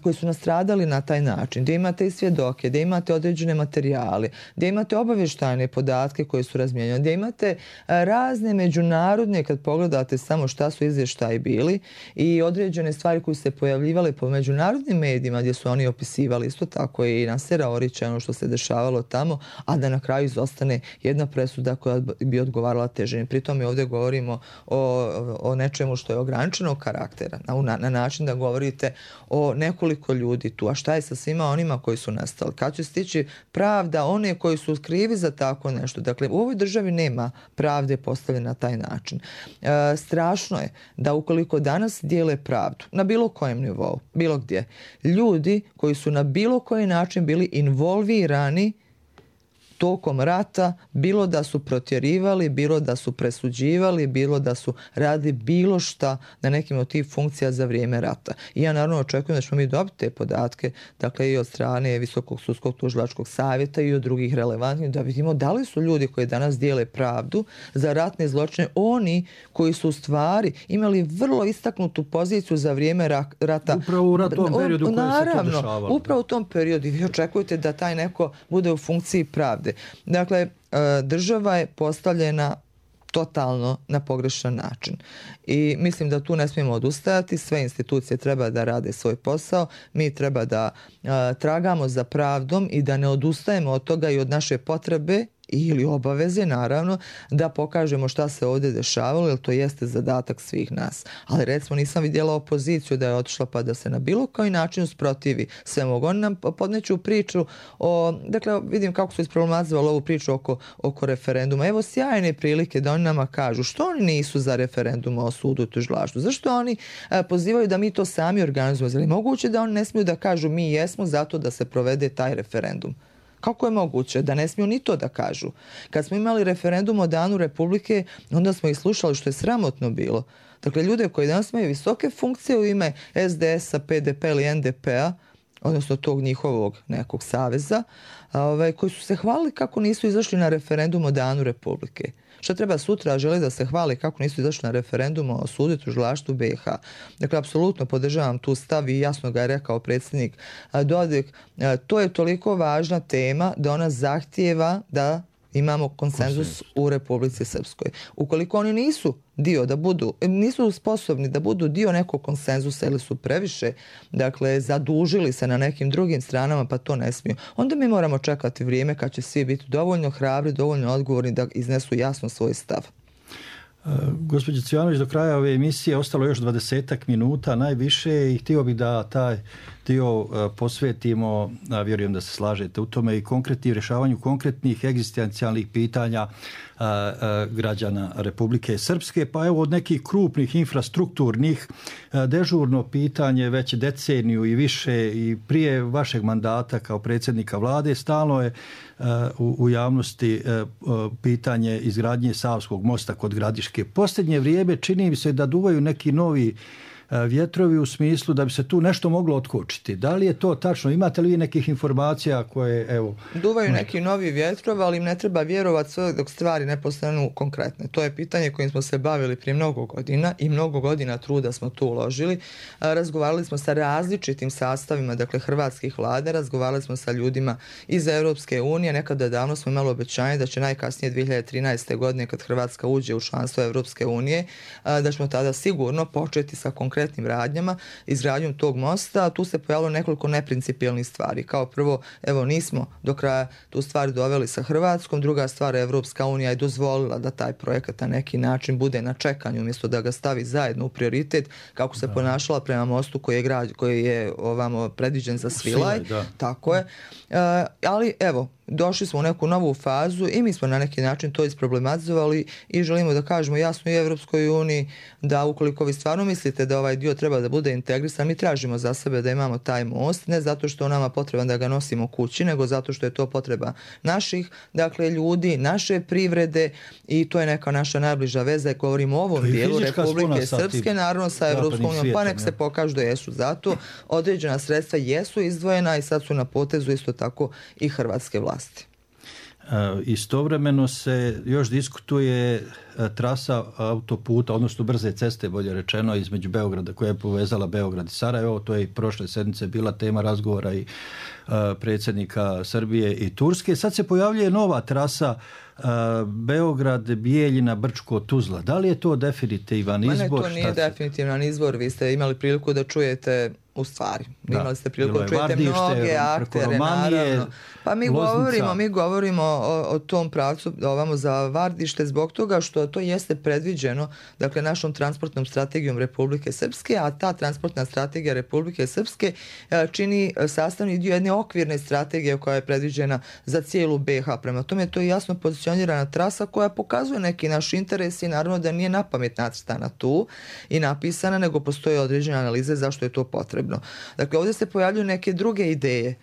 koji su nastradali na taj način, gdje imate i svjedoke, gdje imate određene materijale, gdje imate obavještajne podatke koje su razmijenjene, gdje imate razne međunarodne, kad pogledate samo šta su izvještaji bili, i određene stvari koje se pojavljivale po međunarodnim medijima gdje su oni opisivali isto tako i Nasera Orića, ono što se dešavalo tamo, a da na kraju izostane jedna presuda koja bi odgovarala težini. Pritom ovdje govorimo o nečemu što je ograničenog karaktera, na način da govorite o nekoliko ljudi tu. A šta je sa svima onima koji su nastali? Kad će stići pravda one koji su krivi za tako nešto? Dakle, u ovoj državi nema pravde postavljene na taj način. Strašno je da ukoliko danas dijele pravdu na bilo kojem nivou, bilo gdje, ljudi koji su na bilo koji način bili involvirani tokom rata, bilo da su protjerivali, bilo da su presuđivali, bilo da su radili bilo šta na nekim od tih funkcija za vrijeme rata. I ja naravno očekujem da ćemo mi dobiti te podatke, dakle i od strane Visokog sudskog tužilačkog savjeta i od drugih relevantnih, da vidimo da li su ljudi koji danas dijele pravdu za ratne zločine oni koji su u stvari imali vrlo istaknutu poziciju za vrijeme rata. Upravo u tom periodu koji se to dešavalo. Naravno, upravo u tom periodu. Vi očekujete da taj neko bude u funkciji pravde. Dakle, država je postavljena totalno na pogrešan način. I mislim da tu ne smijemo odustajati, sve institucije treba da rade svoj posao, mi treba da tragamo za pravdom i da ne odustajemo od toga i od naše potrebe ili obaveze, naravno, da pokažemo šta se ovdje dešavalo, jer to jeste zadatak svih nas. Ali recimo nisam vidjela opoziciju da je otišla pa da se na bilo koji način usprotivi svemu. Oni nam podneću priču dakle, vidim kako su isproblematizovali ovu priču oko referenduma. Evo sjajne prilike da oni nama kažu što oni nisu za referendum o sudu i tužilaštvu. Zašto oni pozivaju da mi to sami organizujemo? Je li moguće da oni ne smiju da kažu mi jesmo zato da se provede taj referendum? Kako je moguće da ne smiju ni to da kažu? Kad smo imali referendum o Danu Republike, onda smo ih slušali, što je sramotno bilo. Dakle, ljude koji danas imaju visoke funkcije u ime SDS-a, PDP ili NDP-a, odnosno tog njihovog nekog saveza, koji su se hvalili kako nisu izašli na referendum o Danu Republike. Šta treba sutra, žele da se hvali kako nisu izašli na referendum o sudu i tužilaštvu BiH. Dakle, apsolutno podržavam tu stav i jasno ga je rekao predsjednik Dodik. To je toliko važna tema da ona zahtijeva da imamo konsenzus u Republici Srpskoj. Ukoliko oni nisu nisu sposobni da budu dio nekog konsenzusa ili su previše, dakle, zadužili se na nekim drugim stranama, pa to ne smiju. Onda mi moramo čekati vrijeme kad će svi biti dovoljno hrabri, dovoljno odgovorni da iznesu jasno svoj stav. Gospođo Cvijanović, do kraja ove emisije ostalo još 20 minuta najviše i htio bih da taj dio posvetimo, vjerujem da se slažete u tome, i rješavanju konkretnih egzistencijalnih pitanja građana Republike Srpske. Pa evo, od nekih krupnih infrastrukturnih, dežurno pitanje već deceniju i više i prije vašeg mandata kao predsjednika vlade stalno je u javnosti pitanje izgradnje Savskog mosta kod Gradiške. Posljednje vrijeme čini mi se da duvaju neki novi vjetrovi u smislu da bi se tu nešto moglo otkočiti. Da li je to tačno? Imate li vi nekih informacija koje, evo... Duvaju neki novi vjetrovi, ali im ne treba vjerovati sve dok stvari ne postanu konkretne. To je pitanje kojim smo se bavili prije mnogo godina i mnogo godina truda smo tu uložili. Razgovarali smo sa različitim sastavima, dakle, hrvatskih vlade, razgovarali smo sa ljudima iz Europske unije. Nekada davno smo imali obećanje da će najkasnije 2013. godine, kad Hrvatska uđe u članstvo Europske unije, da ćemo tada sigurno početi sa konkretnim radnjama, izgradnjom tog mosta. Tu se pojavilo nekoliko neprincipijelnih stvari. Kao prvo, evo, nismo do kraja tu stvar doveli sa Hrvatskom. Druga stvar, Europska unija je dozvolila da taj projekat na neki način bude na čekanju umjesto da ga stavi zajedno u prioritet, kako se ponašala prema mostu koji je ovamo predviđen za Svilaj. Tako je. Ali evo, došli smo u neku novu fazu i mi smo na neki način to isproblematizovali i želimo da kažemo jasno i Evropskoj uniji da ukoliko vi stvarno mislite da ovaj dio treba da bude integrisan, mi tražimo za sebe da imamo taj most, ne zato što nama potreban da ga nosimo kući, nego zato što je to potreba naših, dakle, ljudi, naše privrede i to je neka naša najbliža veza. Govorimo o ovom dijelu Republike Srpske, naravno sa Evropskom unijom, pa nek se pokažu da jesu zato. Određena sredstva jesu izdvojena i sad su na potezu isto tako i hrvatske vlasti. Istovremeno se još diskutuje trasa autoputa, odnosno brze ceste, bolje rečeno, između Beograda, koja je povezala Beograd i Sarajevo. To je i prošle sedmice bila tema razgovora i predsjednika Srbije i Turske. Sad se pojavljuje nova trasa Beograd, Bijeljina, Brčko, Tuzla. Da li je to definitivan izbor? To nije definitivan izbor. Vi ste imali priliku da čujete u stvari. Imali ste priliku da čujete mnoge aktere, naravno. Pa mi govorimo o tom pravcu ovamo za Vardište zbog toga što to jeste predviđeno, dakle, našom transportnom strategijom Republike Srpske, a ta transportna strategija Republike Srpske čini sastavni dio jedne okvirne strategije koja je predviđena za cijelu BiH. Prema tome to je jasno pozicionirana trasa koja pokazuje neki naš interes i naravno da nije napamet nacrtana tu i napisana, nego postoje određene analize zašto je to potrebno. Dakle, ovdje se pojavljuju neke druge ideje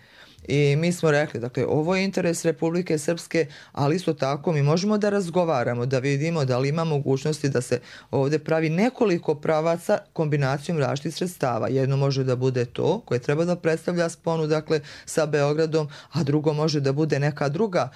i mi smo rekli, dakle, ovo je interes Republike Srpske, ali isto tako mi možemo da razgovaramo, da vidimo da li ima mogućnosti da se ovdje pravi nekoliko pravaca kombinacijom različitih sredstava. Jedno može da bude to koje treba da predstavlja sponu, dakle, sa Beogradom, a drugo može da bude neka druga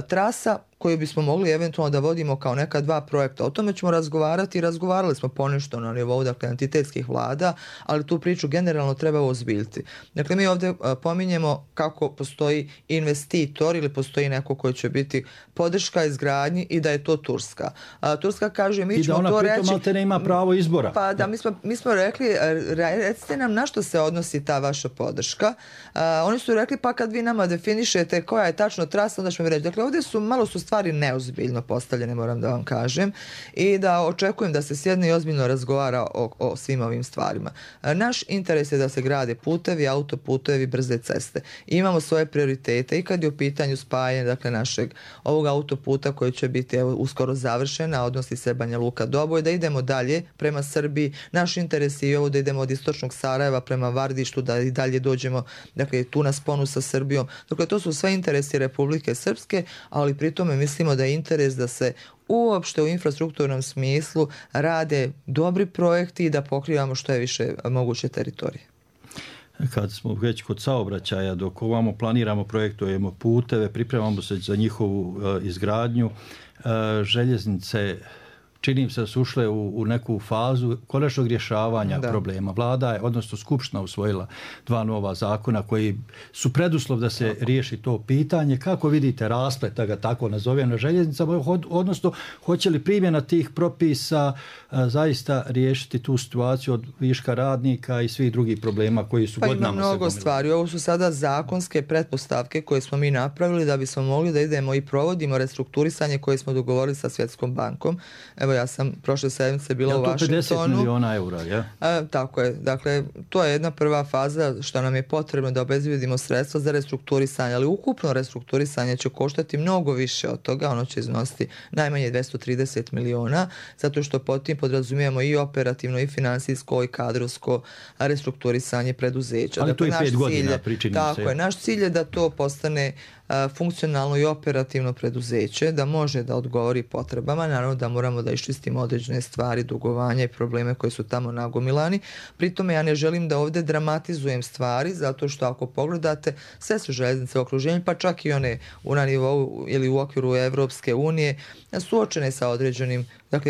trasa koju bismo mogli eventualno da vodimo kao neka dva projekta. O tome ćemo razgovarati i razgovarali smo ponešto na nivou, dakle, entitetskih vlada, ali tu priču generalno treba ozbiljiti. Dakle, mi ovdje pominjemo kako postoji investitor ili postoji neko koji će biti podrška izgradnji i da je to Turska. Turska kaže, mi ćemo to reći... I da ona pritom malte ne ima pravo izbora. Pa da, mi smo rekli, recite nam na što se odnosi ta vaša podrška. Oni su rekli, pa kad vi nama definišete koja je tačno trasa, onda ćemo reći. Dakle, ovdje su malo stvari neozbiljno postavljene, moram da vam kažem, i da očekujem da se sjedne i ozbiljno razgovara o svim ovim stvarima. Naš interes je da se grade putevi, autoputevi, brze ceste. Imamo svoje prioritete i kad je u pitanju spajanje, dakle, našeg ovog autoputa koji će biti uskoro završena, odnosi se Banja Luka Doboj, da idemo dalje prema Srbiji. Naš interes je ovo da idemo od istočnog Sarajeva prema Vardištu, da i dalje dođemo, dakle, tu na sponu sa Srbijom. Dakle, to su sve interesi Republike Srpske, ali pritom mislimo da je interes da se uopšte u infrastrukturnom smislu rade dobri projekti i da pokrivamo što je više moguće teritorije. Kad smo već kod saobraćaja, dok ovamo planiramo, projektujemo puteve, pripremamo se za njihovu izgradnju, željeznice, čini se da su ušle u neku fazu konačnog rješavanja problema. Vlada je, odnosno Skupština, usvojila 2 nova zakona koji su preduslov da se riješi to pitanje. Kako vidite rasplet, da ga tako nazovem, na željeznicama, odnosno hoće li primjena tih propisa zaista riješiti tu situaciju od viška radnika i svih drugih problema koji su godinama se gomilali? Pa ima mnogo stvari. Ovo su sada zakonske pretpostavke koje smo mi napravili da bismo mogli da idemo i provodimo restrukturisanje koje smo dogovorili sa Svjetskom bankom. Evo, ja sam prošle sedmice bila u Vašingtonu. To 50 miliona eura, ja? Tako je. Dakle, to je jedna prva faza što nam je potrebno da obezbedimo sredstva za restrukturisanje, ali ukupno restrukturisanje će koštati mnogo više od toga. Ono će iznositi najmanje 230 miliona, zato što pod tim podrazumijemo i operativno, i finansijsko, i kadrovsko restrukturisanje preduzeća. Ali dakle, to je 5 godina pričini se. Tako je. Naš cilj je da to postane funkcionalno i operativno preduzeće, da može da odgovori potrebama. Naravno da moramo da iščistimo određene stvari, dugovanja i probleme koji su tamo nagomilani. Pritome ja ne želim da ovdje dramatizujem stvari, zato što ako pogledate sve su željeznice u okruženju, pa čak i one na nivou ili u okviru Evropske unije, suočene sa određenim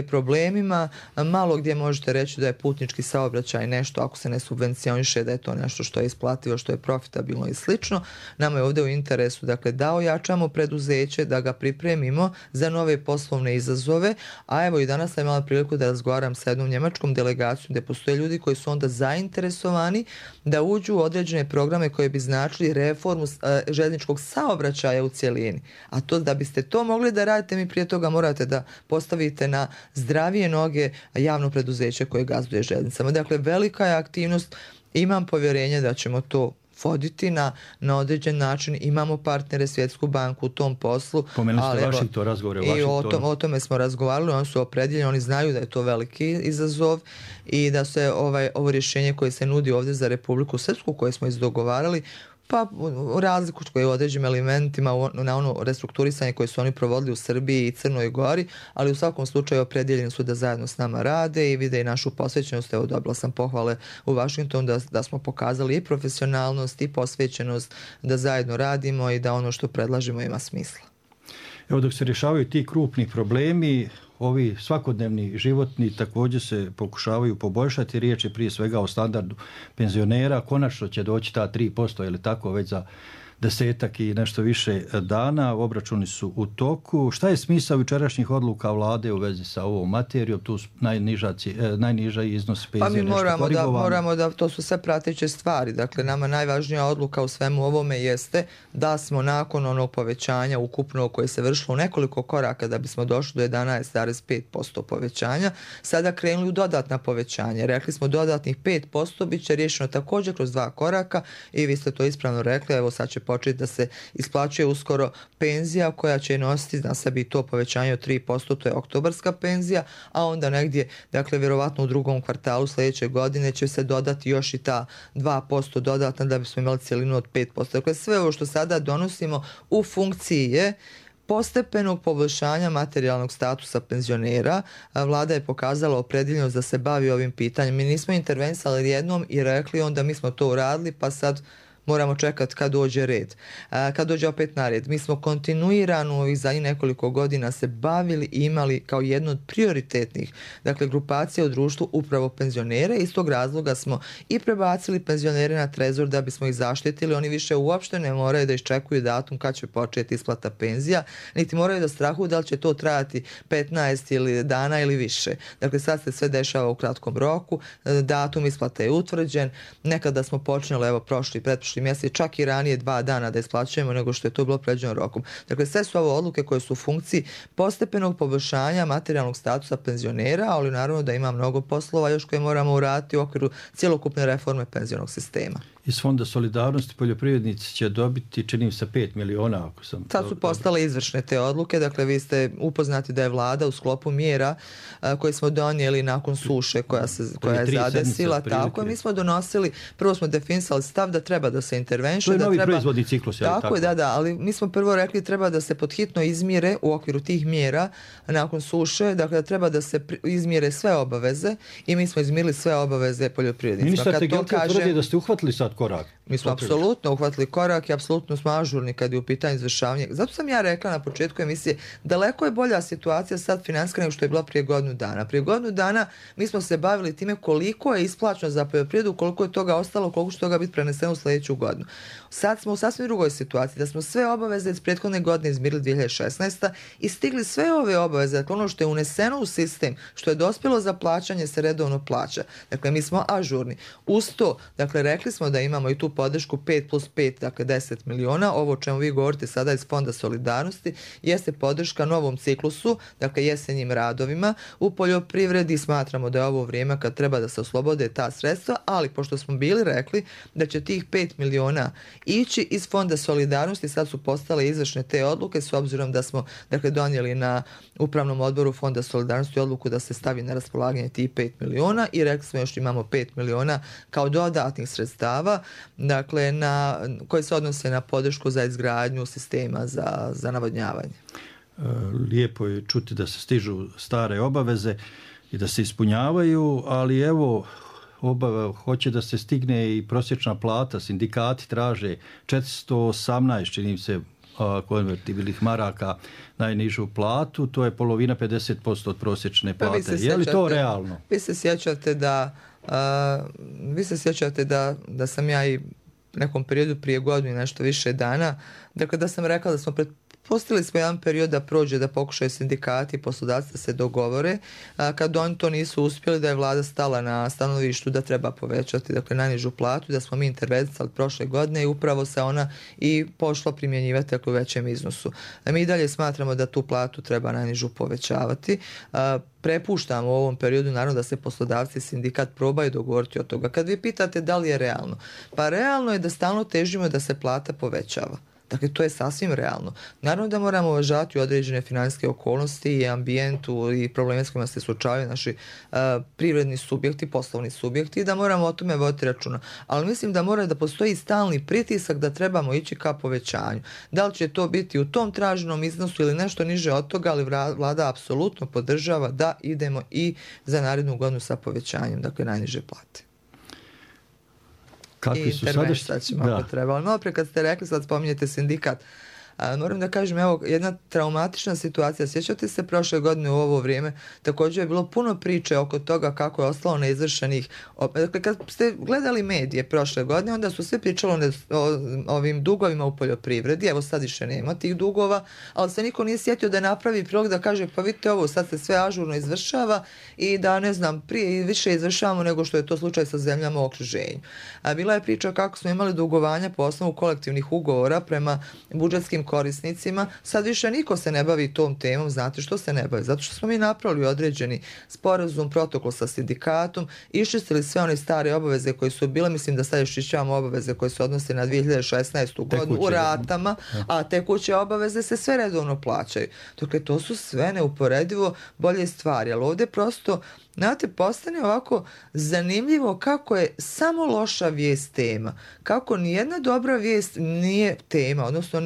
problemima. Malo gdje možete reći da je putnički saobraćaj nešto, ako se ne subvencioniše, da je to nešto što je isplativo, što je profitabilno i slično. Nama je ovdje u interesu da ojačamo preduzeće, da ga pripremimo za nove poslovne izazove, a evo i danas sam imala priliku da razgovaram sa jednom njemačkom delegacijom gdje postoje ljudi koji su onda zainteresovani da uđu u određene programe koje bi značili reformu željezničkog saobraćaja u cjelini. A to da biste to mogli da radite, mi prije toga morate da postavite na zdravije noge javno preduzeće koje gazduje željeznicama. Dakle, velika je aktivnost, imam povjerenje da ćemo to voditi na određen način. Imamo partnere, Svjetsku banku u tom poslu. Pomenuli ste Washington, razgovore o Washingtonu. O tome smo razgovarali, oni su opredeljeni, oni znaju da je to veliki izazov i da se ovo rješenje koje se nudi ovdje za Republiku Srpsku, koje smo izdogovarali, pa u razliku koje je u određenim elementima na ono restrukturisanje koje su oni provodili u Srbiji i Crnoj Gori, ali u svakom slučaju opredjeljeni su da zajedno s nama rade i vide i našu posvećenost. Evo, dobila sam pohvale u Washingtonu da smo pokazali i profesionalnost i posvećenost, da zajedno radimo i da ono što predlažemo ima smisla. Evo, dok se rješavaju ti krupni problemi, ovi svakodnevni životni također se pokušavaju poboljšati. Riječ je prije svega o standardu penzionera. Konačno će doći ta 3%, ili tako, već za 10 i nešto više dana. Obračuni su u toku. Šta je smisao jučerašnjih odluka vlade u vezi sa ovom materijom? Tu najniža iznos penzije nešto korigovano. Moramo da, to su sve prateće stvari. Dakle, nama najvažnija odluka u svemu ovome jeste da smo nakon onog povećanja ukupno koje se vršilo u nekoliko koraka da bismo došli do 11,5% povećanja, sada krenuli u dodatna povećanja. Rekli smo dodatnih 5% bit će riješeno također kroz 2 koraka i vi ste to ispravno rekli. Evo, sad će početi da se isplaćuje uskoro penzija koja će nositi na sebi to povećanje od 3%, to je oktobarska penzija, a onda negdje, dakle, vjerovatno u drugom kvartalu sljedeće godine će se dodati još i ta 2% dodatna da bismo imali cjelinu od 5%. Dakle, sve ovo što sada donosimo u funkciji je postepenog poboljšanja materijalnog statusa penzionera. Vlada je pokazala opredeljenost da se bavi ovim pitanjem. Mi nismo intervenisali jednom i rekli onda mi smo to uradili, pa sad moramo čekati kad dođe red. Kad dođe opet na red. Mi smo kontinuirano i za nekoliko godina se bavili i imali kao jednu od prioritetnih, dakle, grupacija u društvu upravo penzionere. Iz tog razloga smo i prebacili penzionere na trezor da bismo ih zaštitili. Oni više uopšte ne moraju da iščekuju datum kad će početi isplata penzija, niti moraju da strahuju da li će to trajati 15 ili dana ili više. Dakle, sad se sve dešava u kratkom roku. Datum isplate je utvrđen. Nekada smo počinjali, evo, pretprošli mjesec, čak i ranije 2 dana da isplaćujemo nego što je to bilo predviđeno rokom. Dakle, sve su ovo odluke koje su u funkciji postepenog poboljšanja materijalnog statusa penzionera, ali naravno da ima mnogo poslova još koje moramo uraditi u okviru cjelokupne reforme penzionog sistema. Iz Fonda solidarnosti poljoprivrednici će dobiti, čini se, 5 miliona. Ako sam Sad su postale izvršne te odluke. Dakle, vi ste upoznati da je vlada u sklopu mjera koje smo donijeli nakon suše koja je zadesila. Tako, mi smo donosili, prvo smo definisali stav da treba da se interveniše. To je novi proizvodni ciklus. Tako je, da, ali mi smo prvo rekli treba da se podhitno izmjere u okviru tih mjera nakon suše, dakle da treba da se izmjere sve obaveze i mi smo izmirili sve obaveze poljoprivrednicima. Ministar Tegelke tvrdi da ste uhvatili sad korak. Mi smo apsolutno uhvatili korak i apsolutno smo ažurni kad je u pitanju izvršavanja. Zato sam ja rekla na početku emisije, daleko je bolja situacija sad financijska nego što je bila prije godinu dana. Prije godinu dana mi smo se bavili time koliko je isplaćeno za poljoprivredu, koliko je toga ostalo, koliko će toga biti preneseno u sljedeću godinu. Sad smo u sasvim drugoj situaciji, da smo sve obaveze iz prethodne godine izmirili 2016. i stigli sve ove obaveze, dakle ono što je uneseno u sistem, što je dospjelo za plaćanje se redovno plaća. Dakle, mi smo ažurni. Uz to, dakle, rekli smo da imamo i tu podršku 5+5, dakle 10 miliona. Ovo o čemu vi govorite sada iz Fonda solidarnosti jeste podrška novom ciklusu, dakle jesenjim radovima u poljoprivredi. Smatramo da je ovo vrijeme kad treba da se oslobode ta sredstva, ali pošto smo bili rekli da će tih 5 miliona ići iz Fonda solidarnosti, sad su postale izvršne te odluke s obzirom da smo, dakle, donijeli na upravnom odboru Fonda solidarnosti odluku da se stavi na raspolaganje tih 5 miliona i rekli smo još imamo 5 miliona kao dodatnih sredstava dakle, koje se odnose na podršku za izgradnju sistema za navodnjavanje. Lijepo je čuti da se stižu stare obaveze i da se ispunjavaju, ali evo, hoće da se stigne i prosječna plata. Sindikati traže 418, čini se, konvertibilnih maraka najnižu platu, to je polovina 50% od prosječne plate. Je li to realno? Vi se sjećate da sam ja i nekom periodu prije godinu i nešto više dana, dakle da sam rekla da smo pustili smo jedan period da prođe, da pokušaju sindikati i poslodavci da se dogovore. Kad oni to nisu uspjeli, da je vlada stala na stanovištu da treba povećati, dakle, najnižu platu, da smo mi intervenisali prošle godine i upravo se ona i pošla primjenjivati, dakle, u većem iznosu. Mi i dalje smatramo da tu platu treba najnižu povećavati. Prepuštamo u ovom periodu, naravno, da se poslodavci i sindikat probaju dogovoriti od toga. Kad vi pitate da li je realno, pa realno je da stalno težimo da se plata povećava. Dakle, to je sasvim realno. Naravno da moramo uvažavati određene financijske okolnosti i ambijentu i probleme s kojima se suočavaju naši privredni subjekti, poslovni subjekti i da moramo o tome voditi računa. Ali mislim da mora da postoji stalni pritisak da trebamo ići ka povećanju. Da li će to biti u tom traženom iznosu ili nešto niže od toga, ali vlada apsolutno podržava da idemo i za narednu godinu sa povećanjem, dakle, najniže plate. Kakvi su sadašnji? Ako treba. Ali malo pre kad ste rekli, sad spominjete sindikat, moram da kažem, evo, jedna traumatična situacija. Sjećate se prošle godine u ovo vrijeme, također je bilo puno priče oko toga kako je ostalo neizvršenih. Dakle, kad ste gledali medije prošle godine, onda su sve pričalo o ovim dugovima u poljoprivredi. Evo, sad više nema tih dugova, ali se niko nije sjetio da napravi prilog da kaže, pa vidite ovo, sad se sve ažurno izvršava i da, ne znam, prije i više izvršavamo nego što je to slučaj sa zemljama u okruženju. Bila je priča kako smo imali dugovanja po osnovu kolektivnih ugovora prema budžetskim korisnicima. Sad više niko se ne bavi tom temom. Znate što se ne bavi? Zato što smo mi napravili određeni sporazum, protokol sa sindikatom, iščistili sve one stare obaveze koje su bile, mislim da sad još išćavamo obaveze koje se odnose na 2016. godinu u ratama, a tekuće obaveze se sve redovno plaćaju. Dakle, to su sve neuporedivo bolje stvari, ali ovdje prosto, znate, postane ovako zanimljivo kako je samo loša vijest tema. Kako nijedna dobra vijest nije tema, odnosno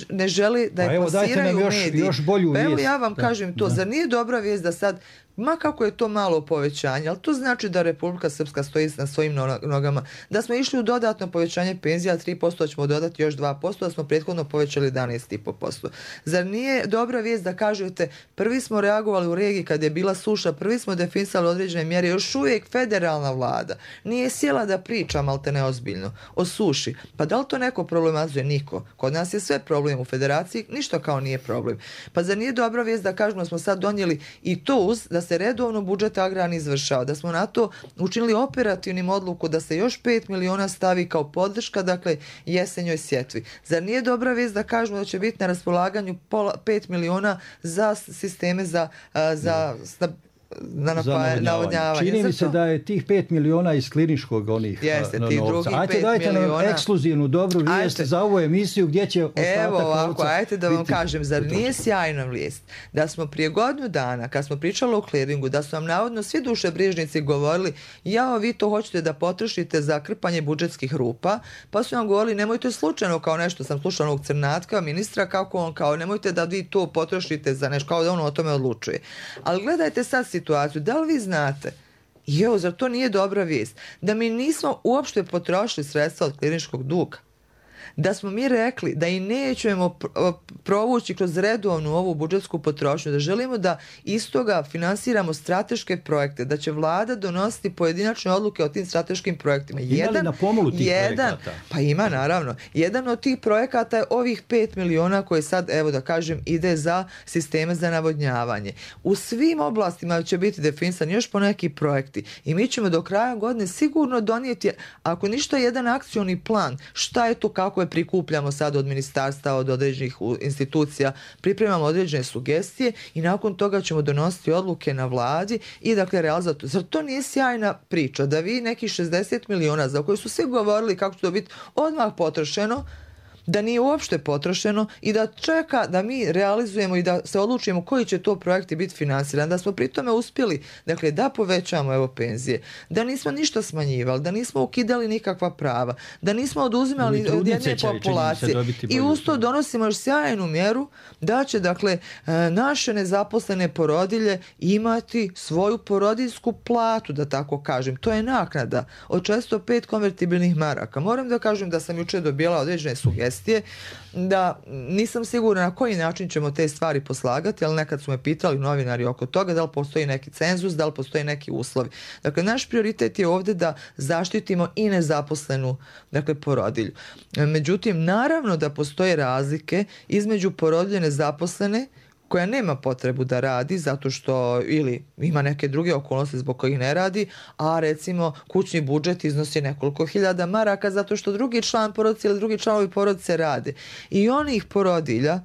ne želi da je plasiraju mediji. Još bolju vijest. Evo ja vam kažem to, zar nije dobra vijest da sad, ma kako je to malo povećanje, ali to znači da Republika Srpska stoji na svojim nogama, da smo išli u dodatno povećanje penzija, 3% ćemo dodati još 2%, da smo prethodno povećali 11,5%. Zar nije dobra vijest da kažete, prvi smo reagovali u regiji kad je bila suša, prvi smo definisali određene mjere, još uvijek federalna vlada nije sjela da priča malte neozbiljno o suši. Pa da li to neko problematizuje? Niko. Kod nas je sve problem, u federaciji ništa kao nije problem. Pa zar nije dobra vijest da kažemo da smo sad donijeli i to uz da se redovno budžet agrarni izvršava, da smo na to učinili operativnim odluku da se još 5 miliona stavi kao podrška, dakle, jesenjoj sjetvi. Zar nije dobra vijest da kažemo da će biti na raspolaganju 5 miliona za sisteme za navodnjavanje? Čini mi se da je tih 5 miliona iz kliničkog onih novca. Ajde, dajte nam ekskluzivnu dobru vijest za ovu emisiju gdje će ostatak novca. Evo ovako, ajte da vam kažem, zar nije sjajna vijest da smo prije godinu dana, kad smo pričali o kliringu, da su vam navodno svi dušebrižnici govorili, jao, vi to hoćete da potrošite za krpanje budžetskih rupa, pa su vam govorili, nemojte slučajno, kao nešto sam slušala onog Crnatka, ministra, kako on, kao nemojte da vi to potrošite za nešto, kao da ono o tome odlučuje. Ali gledajte sad situaciju, da li vi znate, zar to nije dobra vijest, da mi nismo uopšte potrošili sredstva od kliničkog duga, da smo mi rekli da i nećemo provući kroz redovnu ovu budžetsku potrošnju, da želimo da iz toga finansiramo strateške projekte, da će vlada donositi pojedinačne odluke o tim strateškim projektima. Ima li na pomolu tih projekata? Pa ima, naravno. Jedan od tih projekata je ovih 5 miliona koje sad, evo da kažem, ide za sisteme za navodnjavanje. U svim oblastima će biti definisani još po neki projekti i mi ćemo do kraja godine sigurno donijeti, ako ništa, jedan akcioni plan. Šta je to, kako je prikupljamo sad od ministarstva, od određenih institucija, pripremamo određene sugestije i nakon toga ćemo donositi odluke na vladi i dakle realizati. Zar to nije sjajna priča da vi nekih 60 miliona za koje su svi govorili kako će to biti odmah potrošeno, da nije uopšte potrošeno i da čeka da mi realizujemo i da se odlučimo koji će to projekti biti finansirani, da smo pri tome uspjeli, dakle, da povećamo evo penzije, da nismo ništa smanjivali, da nismo ukidali nikakva prava, da nismo oduzimali od jedne populacije i usto donosimo još sjajnu mjeru da će, dakle, naše nezaposlene porodilje imati svoju porodiljsku platu, da tako kažem. To je naknada od 405 konvertibilnih maraka. Moram da kažem da sam jučer dobila određene sugestije, da nisam sigurna na koji način ćemo te stvari poslagati, ali nekad su me pitali novinari oko toga da li postoji neki cenzus, da li postoji neki uslovi. Dakle, naš prioritet je ovdje da zaštitimo i nezaposlenu, dakle, porodilju. Međutim, naravno da postoje razlike između porodilje nezaposlene koja nema potrebu da radi zato što ili ima neke druge okolnosti zbog kojih ne radi, a recimo kućni budžet iznosi nekoliko hiljada maraka zato što drugi član porodice ili drugi članovi porodice rade. I onih porodilja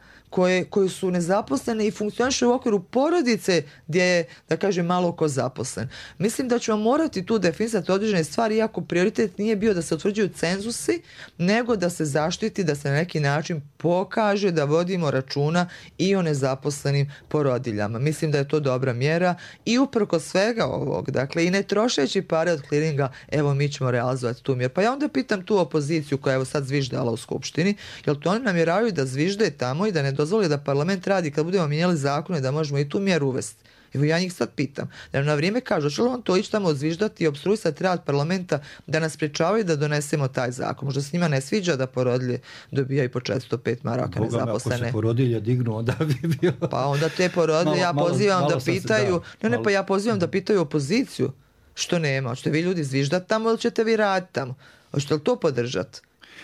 koje su nezaposlene i funkcioniše u okviru porodice gdje je, da kažem, malo ko zaposlen. Mislim da ćemo morati tu definisati određene stvari, iako prioritet nije bio da se utvrđuju cenzusi, nego da se zaštiti, da se na neki način pokaže da vodimo računa i o nezaposlenim porodiljama. Mislim da je to dobra mjera i uprkos svega ovog, dakle, i ne trošeći pare od kliringa, evo mi ćemo realizovati tu mjeru. Pa ja onda pitam tu opoziciju koja je evo sad zviždala u Skupštini, jel to oni namjeravaju da zvižde tamo i da ne dozvoli da parlament radi kad budemo mijenjali zakone da možemo i tu mjeru uvesti. Evo ja njih sad pitam, da na vrijeme kažu, će li on to ići tamo odzviždati i obstruisati rad parlamenta da nas sprečavaju da donesemo taj zakon? Možda se njima ne sviđa da porodilje dobijaju po 405 maraka nezaposlene. Ako se porodilje dignu, onda bi bilo... Pa onda te porodilje, ja pozivam da pitaju, ja pozivam da pitaju opoziciju što nema. Hoćete vi ljudi zviždati tamo ili ćete vi raditi tamo? Hoćete li to podržati?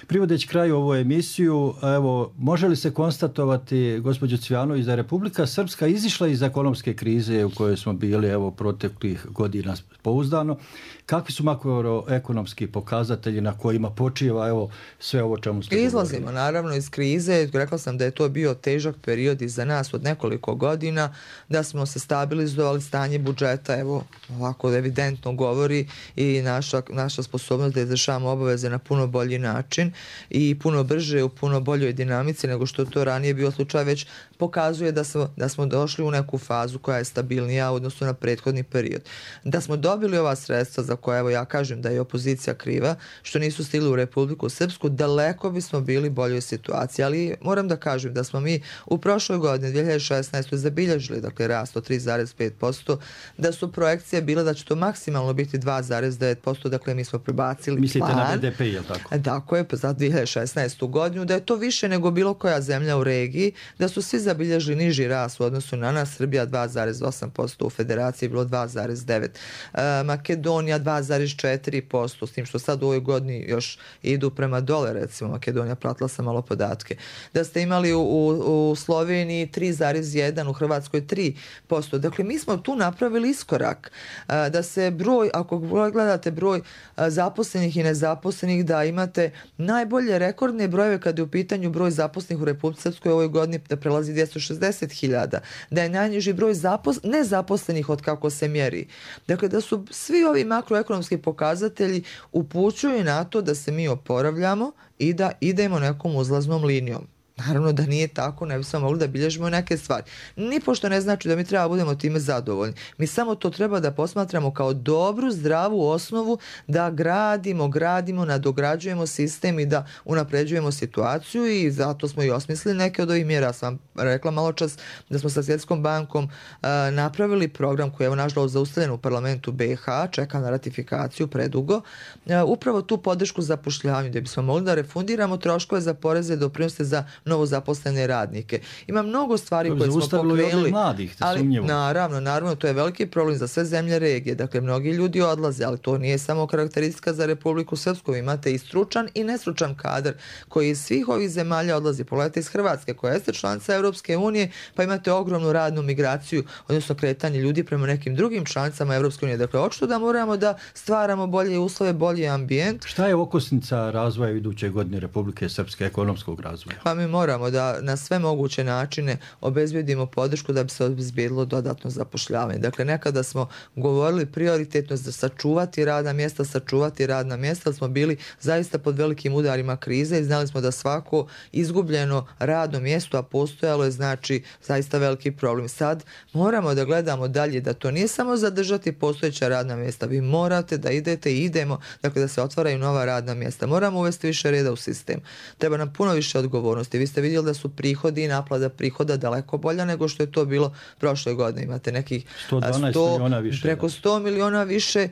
Privodeći kraju ovu emisiju, evo, može li se konstatovati, gospođo Cvijanović, da je Republika Srpska izišla iz ekonomske krize u kojoj smo bili, evo, proteklih godina pouzdano? Kakvi su makroekonomski pokazatelji na kojima počiva, evo, sve ovo čemu ste govorili? Izlazimo naravno iz krize. Rekla sam da je to bio težak period i za nas od nekoliko godina, da smo se stabilizovali, stanje budžeta, evo, ovako evidentno govori i naša sposobnost da izvršavamo obaveze na puno bolji način i puno brže, u puno boljoj dinamici nego što to ranije bio slučaj, već pokazuje da smo došli u neku fazu koja je stabilnija u odnosu na prethodni period. Da smo dobili ova sredstva za koje, evo, ja kažem da je opozicija kriva, što nisu stigli u Republiku Srpsku, daleko bismo bili boljoj situaciji, ali moram da kažem da smo mi u prošloj godini, 2016. zabilježili, dakle, rast od 3,5%, da su projekcije bile da će to maksimalno biti 2,9%, dakle, mi smo prebacili Mislite plan. Na BDP, je li tako? Tako je, za 2016. godinu, da je to više nego bilo koja zemlja u regiji, da su svi zabilježili niži rast u odnosu na nas, Srbija 2,8%, u Federaciji je bilo 2,9%, Makedonija 2,4%, s tim što sad u ovoj godini još idu prema dole, recimo Makedonija, pratila sam malo podatke. Da ste imali u Sloveniji 3,1%, u Hrvatskoj 3%. Dakle, mi smo tu napravili iskorak. Da se broj, ako gledate broj zaposlenih i nezaposlenih, da imate najbolje rekordne brojeve kada je u pitanju broj zaposlenih u Republici Srpskoj ovoj godini da prelazi 260.000, da je najniži broj nezaposlenih od kako se mjeri. Dakle, da su svi ovi makroekonomski pokazatelji upućuju na to da se mi oporavljamo i da idemo nekom uzlaznom linijom. Naravno da nije tako, ne bismo mogli da bilježimo neke stvari. Nipošto ne znači da mi treba budemo time zadovoljni. Mi samo to treba da posmatramo kao dobru, zdravu osnovu da gradimo, nadograđujemo sistem i da unapređujemo situaciju i zato smo i osmislili neke od ovih mjera. Sam rekla malo čas da smo sa Svjetskom bankom napravili program koji je nažalost zaustavljen u parlamentu BiH, čeka na ratifikaciju predugo, upravo tu podršku zapošljavanju da bismo mogli da refundiramo troškove za poreze i doprinose za novo zaposlene radnike. Ima mnogo stvari koje smo pokrenuli, ali naravno, to je veliki problem za sve zemlje regije. Dakle, mnogi ljudi odlaze, ali to nije samo karakteristika za Republiku Srpsku. Imate i stručan i nestručan kadar koji iz svih ovih zemalja odlazi. Pogledajte iz Hrvatske, koja jeste članica Europske unije, pa imate ogromnu radnu migraciju, odnosno kretanje ljudi prema nekim drugim članicama Europske unije. Dakle, očito da moramo da stvaramo bolje uslove, bolji ambijent. Šta je okosnica razvoja iduće godine Republike Srpske, ekonomskog razvoja? Pa mi moramo da na sve moguće načine obezbedimo podršku da bi se obezbedilo dodatno zapošljavanje. Dakle, nekada smo govorili prioritetno da sačuvati radna mjesta, ali smo bili zaista pod velikim udarima krize i znali smo da svako izgubljeno radno mjesto, a postojalo je znači zaista veliki problem. Sad moramo da gledamo dalje, da to nije samo zadržati postojeća radna mjesta. Vi morate da idete i idemo, dakle da se otvaraju nova radna mjesta. Moramo uvesti više reda u sistem. Treba nam puno više odgovornosti. Vi ste vidjeli da su prihodi i naplata prihoda daleko bolja nego što je to bilo prošle godine. Imate nekih 112 miliona više. Preko 100 miliona više,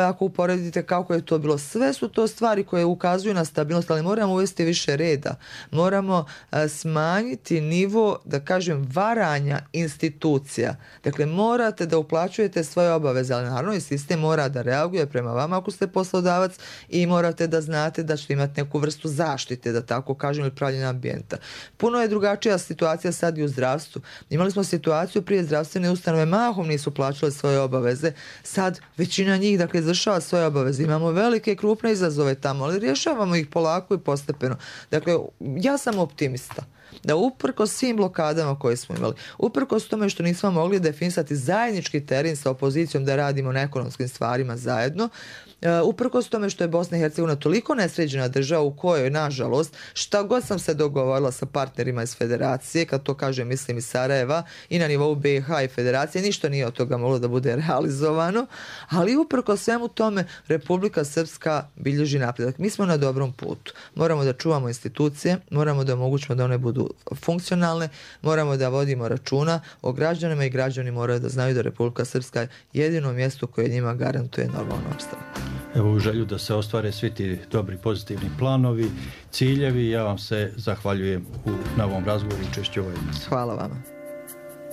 ako uporedite kako je to bilo. Sve su to stvari koje ukazuju na stabilnost, ali moramo uvesti više reda. Moramo smanjiti nivo, da kažem, varanja institucija. Dakle, morate da uplaćujete svoje obaveze, ali naravno i sistem mora da reaguje prema vama ako ste poslodavac i morate da znate da ćete imati neku vrstu zaštite, da tako kažem, ili pravljenja ambijenta. Puno je drugačija situacija sad i u zdravstvu. Imali smo situaciju prije zdravstvene ustanove mahom nisu plaćale svoje obaveze. Sad većina njih, dakle, izvršava svoje obaveze. Imamo velike i krupne izazove tamo, ali rješavamo ih polako i postepeno. Dakle, ja sam optimista da uprkos svim blokadama koje smo imali, uprkos tome što nismo mogli definisati zajednički teren sa opozicijom da radimo na ekonomskim stvarima zajedno, uprkos tome što je Bosna i Hercegovina toliko nesređena država u kojoj, nažalost, šta god sam se dogovorila sa partnerima iz federacije, kad to kažem mislim iz Sarajeva i na nivou BiH i federacije, ništa nije od toga moglo da bude realizovano, ali uprkos svemu tome Republika Srpska bilježi napredak. Mi smo na dobrom putu. Moramo da čuvamo institucije, moramo da omogućimo da one budu funkcionalne, moramo da vodimo računa o građanima i građani moraju da znaju da Republika Srpska je jedino mjesto koje njima garantuje normalno opstanak. Evo, u želju da se ostvare svi ti dobri pozitivni planovi, ciljevi, ja vam se zahvaljujem na ovom razgovoru i učešću u ovoj emisiji. Hvala vama.